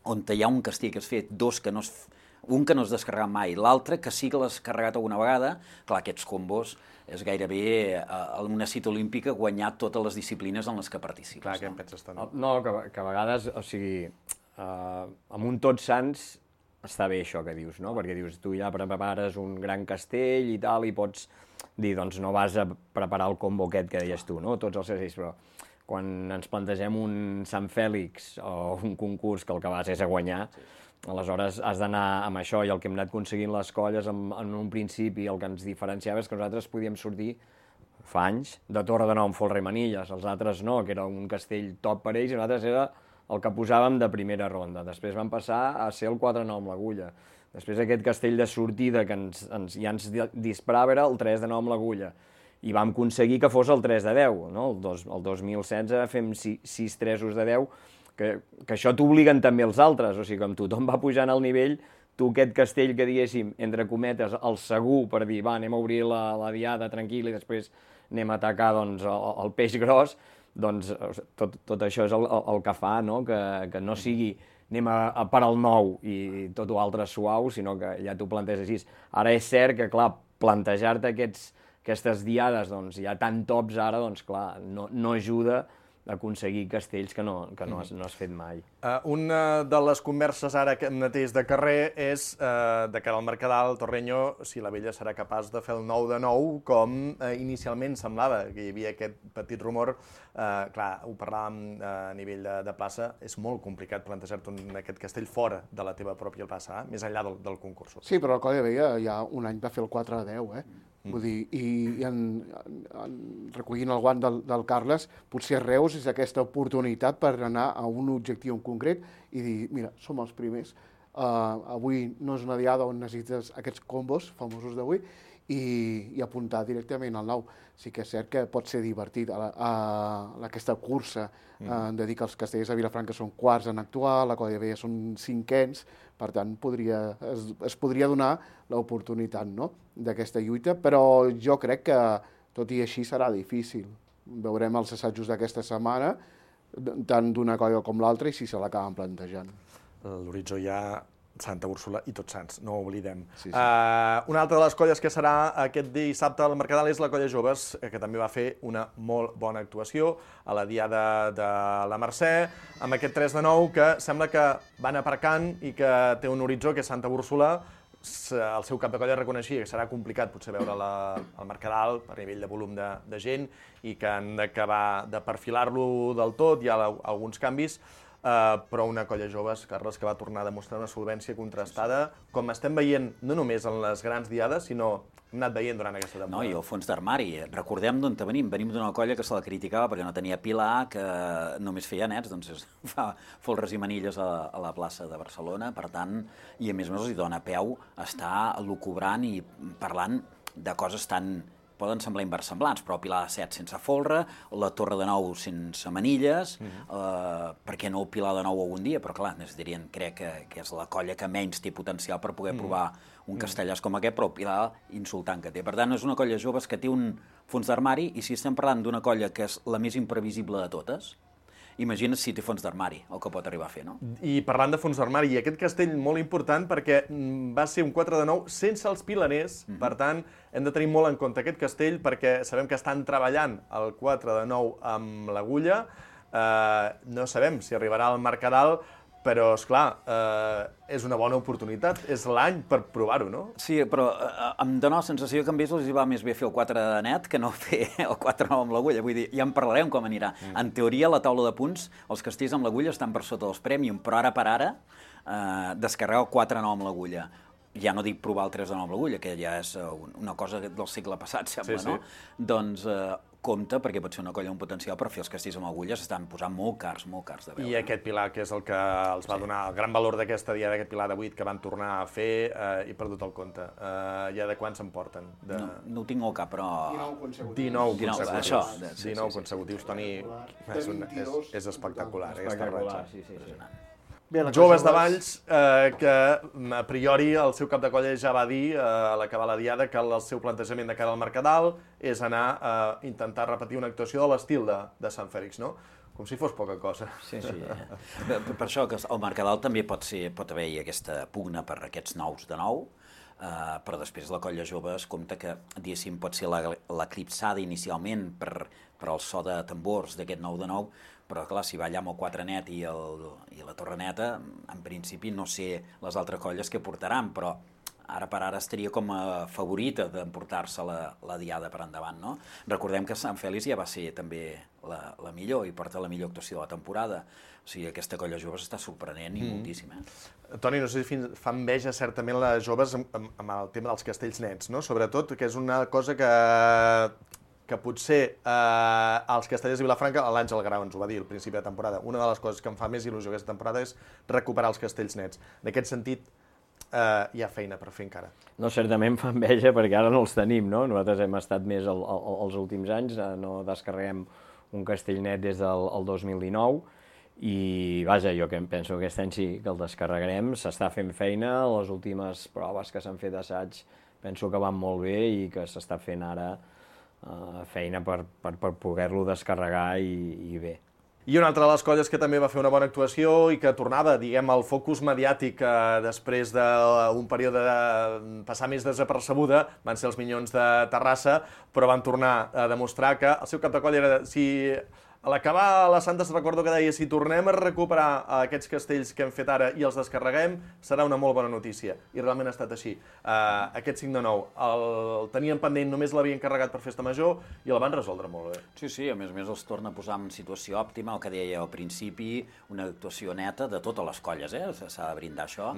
K: on hi ha un castell que has fet, un que no has descarregat mai, l'altre que sí que l'has carregat alguna vegada, clar, aquests combos és gairebé una cita olímpica guanyar totes les disciplines en les que participes.
F: Clar, què en penses, Toni?
L: No, que a vegades, o sigui, amb un Tots Sants està bé això que dius, no? Perquè dius, tu ja prepares un gran castell i tal, i pots dir, doncs no vas a preparar el combo aquest que deies tu, no? Tots els castells, però quan ens plantegem un Sant Fèlix o un concurs que el que vas és a guanyar, aleshores has d'anar amb això, i el que hem anat aconseguint les colles en un principi, el que ens diferenciava és que nosaltres podíem sortir fa anys de Torre de Nou amb folre i manilles, els altres no, que era un castell top per ells, i nosaltres era el que posàvem de primera ronda. Després vam passar a ser el 4-9 amb l'agulla. Després aquest castell de sortida que ja ens disparava era el 3-9 amb l'agulla. I vam aconseguir que fos el 3-10. No? El 2016 fem 6 3-os de 10, que això t'obliguen també els altres. O sigui, com tothom va pujant al nivell, tu aquest castell que diguéssim, entre cometes, el segur per dir, va, anem a obrir la diada tranquil i després anem a atacar el peix gros, doncs tot això és el que fa, no? Que no sigui anem a per al nou i tot l'altre suau, sinó que ja t'ho planteges així. Ara és cert que, clar, plantejar-te aquestes diades, doncs, ja tan tops ara, doncs, clar, no ajuda a aconseguir castells que no has fet mai.
F: Una de les converses ara mateix de carrer és de cara al Mercadal, Torreño, si la vella serà capaç de fer el 9-9, com inicialment semblava, que hi havia aquest petit rumor. Clar, ho parlàvem a nivell de plaça, és molt complicat plantejar-te aquest castell fora de la teva pròpia plaça, més enllà del concurs.
M: Sí, però el Coll de Vella ja un any va fer el 4-10, Vull dir, i recollint el guant del Carles, potser Reus és aquesta oportunitat per anar a un objectiu en concret i dir, mira, som els primers, avui no és una diada on necessites aquests combos famosos d'avui i apuntar directament al 9. Sí que és cert que pot ser divertit aquesta cursa de dir que els castellers de Vilafranca són quarts en actuar, la Coll de Vella són cinquens, per tant es podria donar l'oportunitat, no?, d'aquesta lluita, però jo crec que tot i així serà difícil. Veurem els assajos d'aquesta setmana, tant d'una colla com l'altra, i si se l'acaben plantejant.
F: L'horitzó ja Santa Úrsula i Tots Sants, no ho oblidem. Una altra de les colles que serà aquest dissabte al Mercadal és la Colla Joves, que també va fer una molt bona actuació a la diada de la Mercè, amb aquest 3-9 que sembla que van aparcant i que té un horitzó que és Santa Úrsula. El seu cap de colla reconeixia que serà complicat potser veure al Mercadal per nivell de volum de gent i que han d'acabar de perfilar-lo del tot, hi ha alguns canvis, però una Colla Joves, Carles, que va tornar a demostrar una solvència contrastada, com estem veient no només en les grans diades, sinó hem anat veient durant aquesta temporada.
K: No, i el fons d'armari. Recordem d'on venim. Venim d'una colla que se la criticava perquè no tenia pilar, que només feia nets, doncs fa folres i manilles a la plaça de Barcelona, per tant, i a més els hi dona peu a estar lucubrant i parlant de coses tan poden semblar inversemblants, però Pilar de 7 sense folre, la Torre de 9 sense manilles, per què no el Pilar de 9 algun dia? Però clar, dirien, crec que és la colla que menys té potencial per poder provar un castellàs com aquest, però el Pilar insultant que té. Per tant, és una colla joves que té un fons d'armari, i si estem parlant d'una colla que és la més imprevisible de totes, imagina't si té fons d'armari, el que pot arribar a fer, no?
F: I parlant de fons d'armari, i aquest castell molt important perquè va ser un 4-9 sense els pilaners, per tant, hem de tenir molt en compte aquest castell perquè sabem que estan treballant el 4-9 amb l'agulla, no sabem si arribarà al Mercadal, però, esclar, és una bona oportunitat, és l'any per provar-ho, no?
K: Sí, però em dóna la sensació que a ells els va més bé fer el 4 de net que no fer el 4-9 amb l'agulla. Vull dir, ja en parlarem com anirà. En teoria, a la taula de punts, els castells amb l'agulla estan per sota dels Premium, però ara per ara, descarregar el 4-9 amb l'agulla. Ja no dic provar el 3-9 amb l'agulla, que ja és una cosa del segle passat, sembla, no? Doncs compte, perquè pot ser una colla amb potencial, però fer els castells amb agulles estan posant molt cars de veure.
F: I aquest pilar, que és el que els va donar el gran valor d'aquesta diada, aquest pilar de 8 que van tornar a fer, i perdut el compte. Ja de quants se'n porten?
K: No ho tinc al cap, però...
F: 19 consecutius. 19 consecutius, Toni, és espectacular.
L: Espectacular, sí.
F: Joves de Valls, que a priori el seu cap de colla ja va dir a l'acabar la diada que el seu plantejament de cara al Mercadal és anar a intentar repetir una actuació de l'estil de Sant Fèlix, no? Com si fos poca cosa.
K: Sí. Per això que el Mercadal també pot haver-hi aquesta pugna per aquests 9 de 9, però després la Colla Joves compta que, diguéssim, pot ser l'eclipsada inicialment per el so de tambors d'aquest 9 de 9, però clar, si va allà amb el 4 net i la Torre Neta, en principi no sé les altres colles que portaran, però ara per ara estaria com a favorita d'emportar-se la diada per endavant, no? Recordem que Sant Fèlix ja va ser també la millor i porta la millor actuació de la temporada. O sigui, aquesta colla joves està sorprenent i moltíssim,
F: Toni, no sé si fa enveja certament les joves amb el tema dels castells nets, no? Sobretot, que és una cosa que potser els castellers de Vilafranca, l'Àngel Grau ens ho va dir al principi de temporada, una de les coses que em fa més il·lusió aquesta temporada és recuperar els castells nets. En aquest sentit, hi ha feina per fer encara.
L: No, certament fa enveja perquè ara no els tenim, no? Nosaltres hem estat més els últims anys, no descarreguem un castell net des del 2019 i, vaja, jo penso que aquest any sí que el descarregarem, s'està fent feina, les últimes proves que s'han fet d'assaig penso que van molt bé i que s'està fent ara feina per poder-lo descarregar i bé.
F: I una altra de les colles que també va fer una bona actuació i que tornava, diguem, al focus mediàtic després d'un període de passar més desapercebuda, van ser els Minyons de Terrassa, però van tornar a demostrar que el seu cap de colla era... A l'acabar la Santa recordo que deia si tornem a recuperar aquests castells que hem fet ara i els descarreguem, serà una molt bona notícia. I realment ha estat així. Aquest 5 de 9 el tenien pendent, només l'havien carregat per Festa Major i el van resoldre molt bé.
K: Sí, a més els torna a posar en situació òptima, el que deia al principi, una actuació neta de totes les colles, s'ha de brindar això.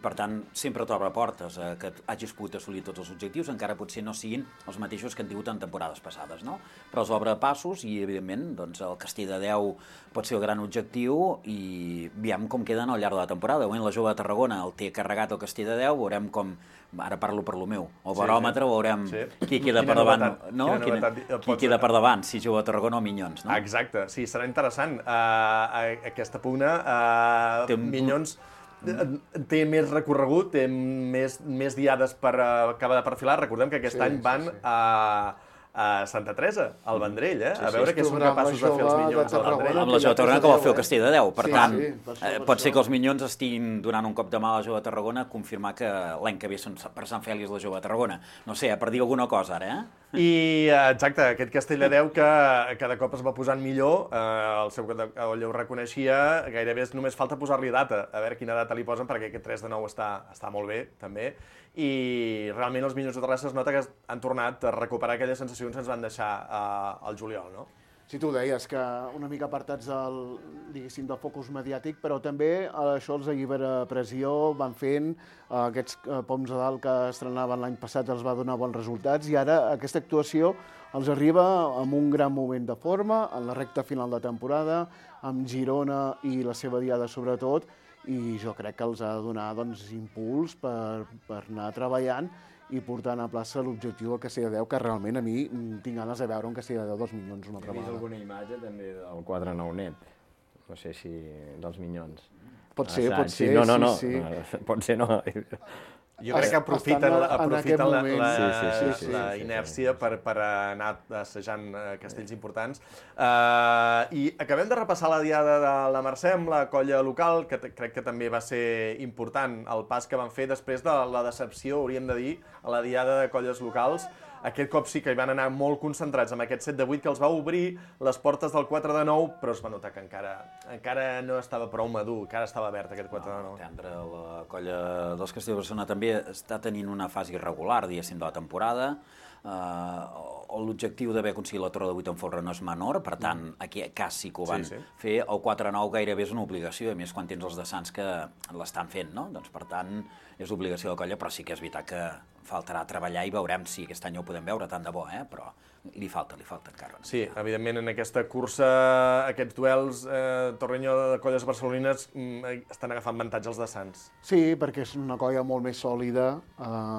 K: Per tant, sempre t'obre portes que hagis pogut assolir tots els objectius, encara potser no siguin els mateixos que han tingut en temporades passades, no? Però els obre passos i, evidentment, doncs, el Castell de Déu pot ser el gran objectiu i veiem com queden al llarg de la temporada. Avui la Jove de Tarragona el té carregat el Castell de Déu, veurem com, ara parlo per lo meu, el baròmetre, veurem qui queda per davant, no? Qui queda per davant, si Jove de Tarragona o Minyons, no?
F: Exacte, sí, serà interessant. Aquesta pugna, Minyons té més recorregut, té més diades per acabar de perfilar. Recordem que aquest any van a Santa Teresa, al Vendrell, a veure què són capaços de fer els Minyons al Vendrell.
K: Amb la Jove de Tarragona que vol fer el Castell de Déu. Per tant, pot ser que els Minyons estiguin donant un cop de mà a la Jove de Tarragona a confirmar que l'any que ve són per Sant Fèlix la Jove de Tarragona. No sé, per dir alguna cosa ara,
F: I, exacte, aquest Castell de Déu que cada cop es va posant millor, el seu coll ho reconeixia, gairebé només falta posar-li data, a veure quina data li posen, perquè aquest 3 de 9 està molt bé, també, i realment els Minyons de Terrassa es nota que han tornat a recuperar aquelles sensacions que ens van deixar al juliol, no?
M: Sí, tu deies que una mica apartats del focus mediàtic, però també això els Allibera-Pressió van fent, aquests poms de dalt que estrenaven l'any passat els va donar bons resultats i ara aquesta actuació els arriba amb un gran moment de forma, en la recta final de temporada, amb Girona i la seva diada sobretot, i jo crec que els ha de donar impuls per anar treballant i portant a plaça l'objectiu del Castell de Déu, que realment a mi tinc ganes de veure un Castell de Déu dels Minyons una altra vegada.
L: He vist alguna imatge també del 4-9 net, no sé si dels Minyons.
M: Pot ser,
L: sí. Pot ser, no.
F: Jo crec que aprofiten la inèrcia per anar assajant castells importants. I acabem de repassar la diada de la Mercè amb la colla local, que crec que també va ser important el pas que van fer després de la decepció, hauríem de dir, a la diada de colles locals. Aquest cop sí que hi van anar molt concentrats amb aquest 7 de 8 que els va obrir les portes del 4 de 9, però es va notar que encara no estava prou madur, encara estava verd aquest 4 de 9.
K: La colla dels Castells de Barcelona també està tenint una fase irregular, diguéssim, de la temporada. L'objectiu d'haver aconseguit la Torre de 8 en folre no és menor, per tant, aquí quasi que ho van fer. El 4-9 gairebé és una obligació, a més quan tens els de Sants que l'estan fent, no? Doncs per tant, és obligació de la colla, però sí que és veritat que faltarà treballar i veurem si aquest any ho podem veure, tant de bo, però li falta encara.
F: Sí, evidentment en aquesta cursa, aquests duels, Torrenyó de colles barcelonines estan agafant avantatge els de Sants.
M: Sí, perquè és una colla molt més sòlida,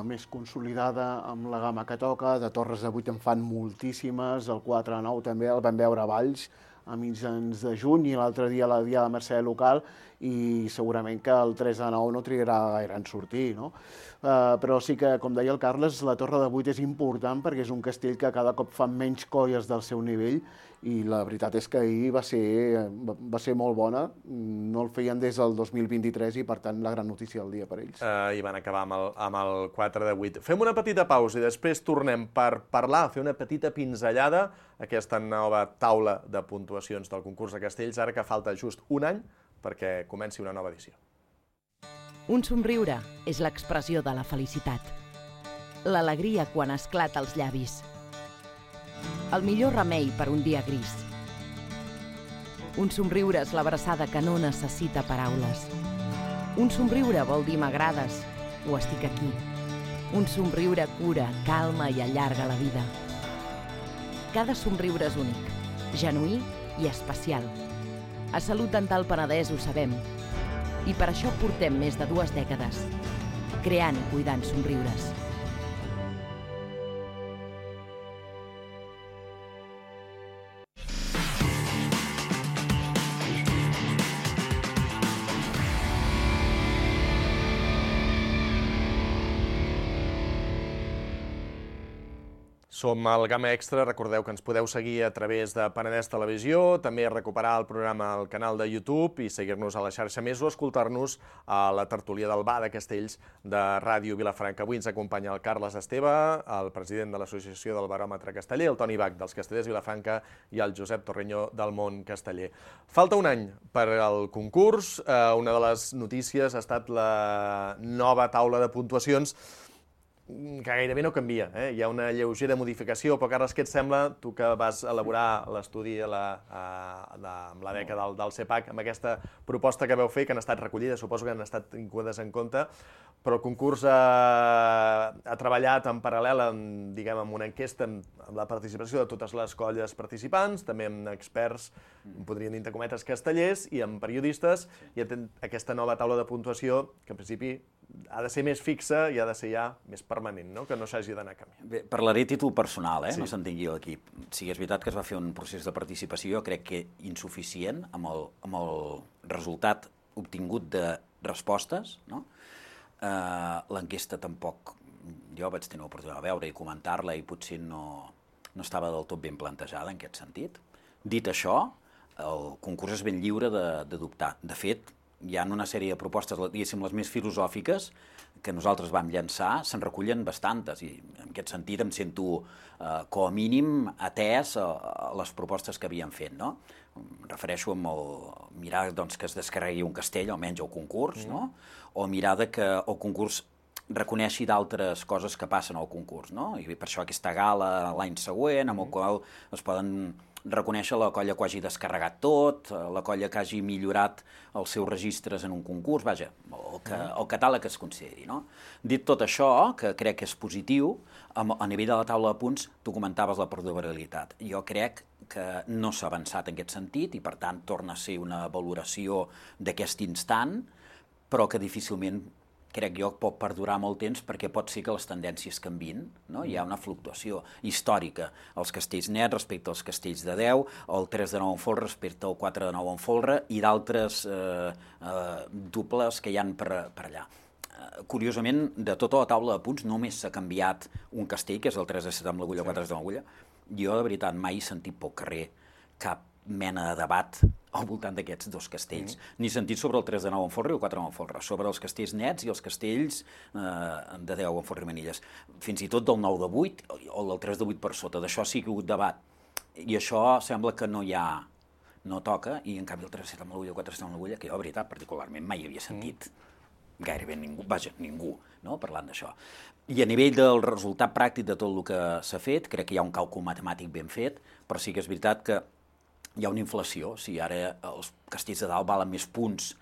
M: més consolidada amb la gamma que toca, de torres de 8 en fan moltíssimes, el 4-9 també el vam veure a Valls a mitjans de juny i l'altre dia la Diada de Mercè local i segurament que el 3 de 9 no trigarà gaire en sortir, no? Però sí que, com deia el Carles, la Torre de 8 és important perquè és un castell que cada cop fan menys colles del seu nivell i la veritat és que ahir va ser molt bona, no el feien des del 2023 i per tant la gran notícia del dia per ells.
F: I van acabar amb el 4 de 8. Fem una petita pausa i després tornem per parlar, fer una petita pinzellada a aquesta nova taula de puntuacions del concurs de castells, ara que falta just un any perquè comenci una nova edició.
N: Un somriure és l'expressió de la felicitat. L'alegria quan esclata als llavis. El millor remei per un dia gris. Un somriure és l'abraçada que no necessita paraules. Un somriure vol dir m'agrades o estic aquí. Un somriure cura, calma i allarga la vida. Cada somriure és únic, genuí i especial. A Salut Dental Penedès ho sabem. I per això portem més de 2 dècades, creant i cuidant somriures.
F: Som al Gamma Extra, recordeu que ens podeu seguir a través de Penedès Televisió, també recuperar el programa al canal de YouTube i seguir-nos a la xarxa més o escoltar-nos a la tertúlia del Bar de Castells de Ràdio Vilafranca. Avui ens acompanya el Carles Esteve, el president de l'Associació del Baròmetre Casteller, el Toni Bach dels Castellers Vilafranca i el Josep Torreño del Món Casteller. Falta un any per al concurs. Una de les notícies ha estat la nova taula de puntuacions, que gairebé no canvia. Hi ha una lleugera modificació, però Carles, què et sembla, tu que vas elaborar l'estudi amb la beca del CEPAC, amb aquesta proposta que vau fer, que han estat recollides, suposo que han estat tingudes en compte, però el concurs ha treballat en paral·lel amb una enquesta amb la participació de totes les colles participants, també amb experts, podríem dir entre cometes, castellers, i amb periodistes, i aquesta nova taula de puntuació, que en principi ha de ser més fixa i ha de ser ja més permanent, no? Que no s'hagi d'anar canviant.
K: Bé, parlaré a títol personal, no s'entengui l'equip. Sí que és veritat que es va fer un procés de participació, crec que insuficient, amb el resultat obtingut de respostes, no? L'enquesta tampoc, jo vaig tenir l'oportunitat de veure i comentar-la i potser no estava del tot ben plantejada en aquest sentit. Dit això, el concurs és ben lliure de dubtar. De fet, hi ha una sèrie de propostes, diguéssim, les més filosòfiques, que nosaltres vam llançar, se'n recullen bastantes, i en aquest sentit em sento, com a mínim, atès a les propostes que havíem fet, no? Em refereixo a mirar que es descarregui un castell, almenys al concurs, no? O mirar que el concurs reconeixi d'altres coses que passen al concurs, no? I per això aquesta gala l'any següent, amb el qual es poden reconèixer la colla que ho hagi descarregat tot, la colla que hagi millorat els seus registres en un concurs, vaja, el catàleg que es consideri, no? Dit tot això, que crec que és positiu, a nivell de la taula de punts, tu comentaves la perdurabilitat. Jo crec que no s'ha avançat en aquest sentit i, per tant, torna a ser una valoració d'aquest instant, però que difícilment crec jo que pot perdurar molt temps perquè pot ser que les tendències canvien, no? Hi ha una fluctuació històrica. Els castells nets respecte als castells de 10, el 3 de 9 en folre respecte al 4 de 9 en folre i d'altres dobles que hi ha per allà. Curiosament, de tota la taula de punts només s'ha canviat un castell, que és el 3 de 7 amb l'agulla, 4 de 7 amb l'agulla. Jo, de veritat, mai he sentit pel carrer cap mena de debat al voltant d'aquests dos castells, ni sentit sobre el 3 de 9 en folre i el 4 de 9 en folre, sobre els castells nets i els castells de 10 en folre i manilles. Fins i tot del 9 de 8 o del 3 de 8 per sota, d'això sí que hi ha hagut debat. I això sembla que no toca, i en canvi el 3 de 7 amb l'agulla i el 4 de 7 amb l'agulla, que jo, de veritat, particularment mai havia sentit gairebé ningú, parlant d'això. I a nivell del resultat pràctic de tot el que s'ha fet, crec que hi ha un càlcul matemàtic ben fet, però sí que és veritat que hi ha una inflació. Si ara els castells de dalt valen més punts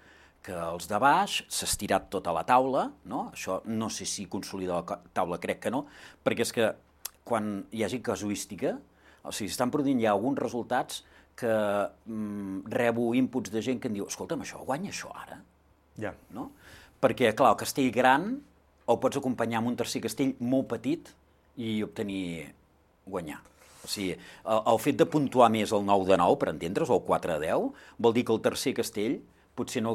K: que els de baix, s'ha estirat tota la taula, no? Això no sé si consolida la taula, crec que no, perquè és que quan hi hagi casuística, o sigui, estan produint ja alguns resultats que rebo inputs de gent que em diu, escolta'm, això guanya això ara?
F: Ja.
K: No? Perquè, clar, el castell gran el pots acompanyar amb un tercer castell molt petit i guanyar. O sigui, el fet de puntuar més el 9 de 9, per entendre's, o el 4 de 10, vol dir que el tercer castell potser no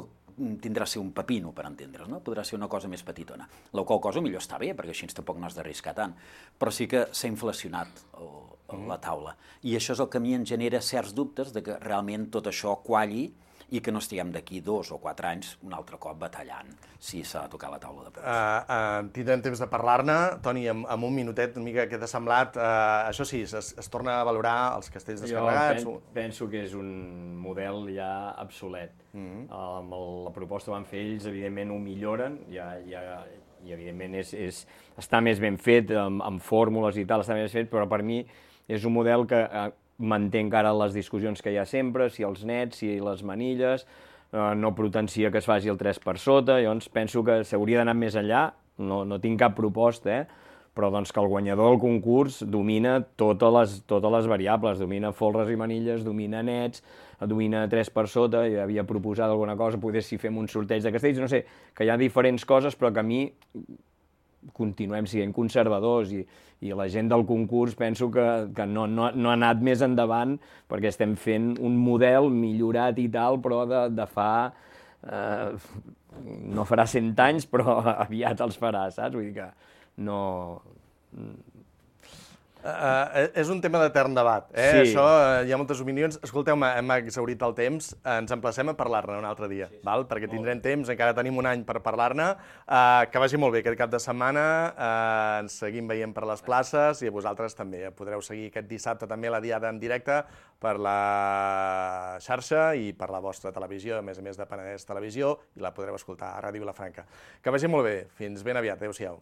K: tindrà a ser un pepino, per entendre's, no? Podrà ser una cosa més petitona. La qual cosa millor està bé, perquè així tampoc no has d'arriscar tant. Però sí que s'ha inflacionat la taula. I això és el que a mi em genera certs dubtes de que realment tot això qualli i que no estiguem d'aquí 2 o 4 anys un altre cop batallant si s'ha de tocar la taula de preus.
F: Tindrem temps de parlar-ne. Toni, en un minutet, una mica què t'ha semblat? Això sí, es torna a valorar els castells descarregats?
L: Jo penso que és un model ja obsolet. Amb la proposta que van fer ells, evidentment ho milloren, i evidentment està més ben fet, amb fórmules i tal, està més fet, però per mi és un model que manté encara les discussions que hi ha sempre, si els nets, si les manilles, no potencia que es faci el 3 per sota, llavors penso que s'hauria d'anar més enllà, no tinc cap proposta, però doncs que el guanyador del concurs domina totes les variables, domina folres i manilles, domina nets, domina 3 per sota, i havia proposat alguna cosa, poder si fem un sorteig de castells, no sé, que hi ha diferents coses, però que a mi continuem sent conservadors i la gent del concurs penso que no ha anat més endavant perquè estem fent un model millorat i tal, però de fa... no farà 100 anys, però aviat els farà, saps? Vull dir que no...
F: És un tema d'etern debat,
L: Sí.
F: Això, hi ha moltes opinions. Escolteu, hem exhaurit el temps, ens emplacem a parlar-ne un altre dia, val? Perquè tindrem temps, encara tenim un any per parlar-ne. Que vagi molt bé aquest cap de setmana, ens seguim veient per les places i vosaltres també podreu seguir aquest dissabte també la diada en directe per la xarxa i per la vostra televisió, a més de Penedès Televisió, i la podreu escoltar a Ràdio Vilafranca. Que vagi molt bé, fins ben aviat, adéu-siau.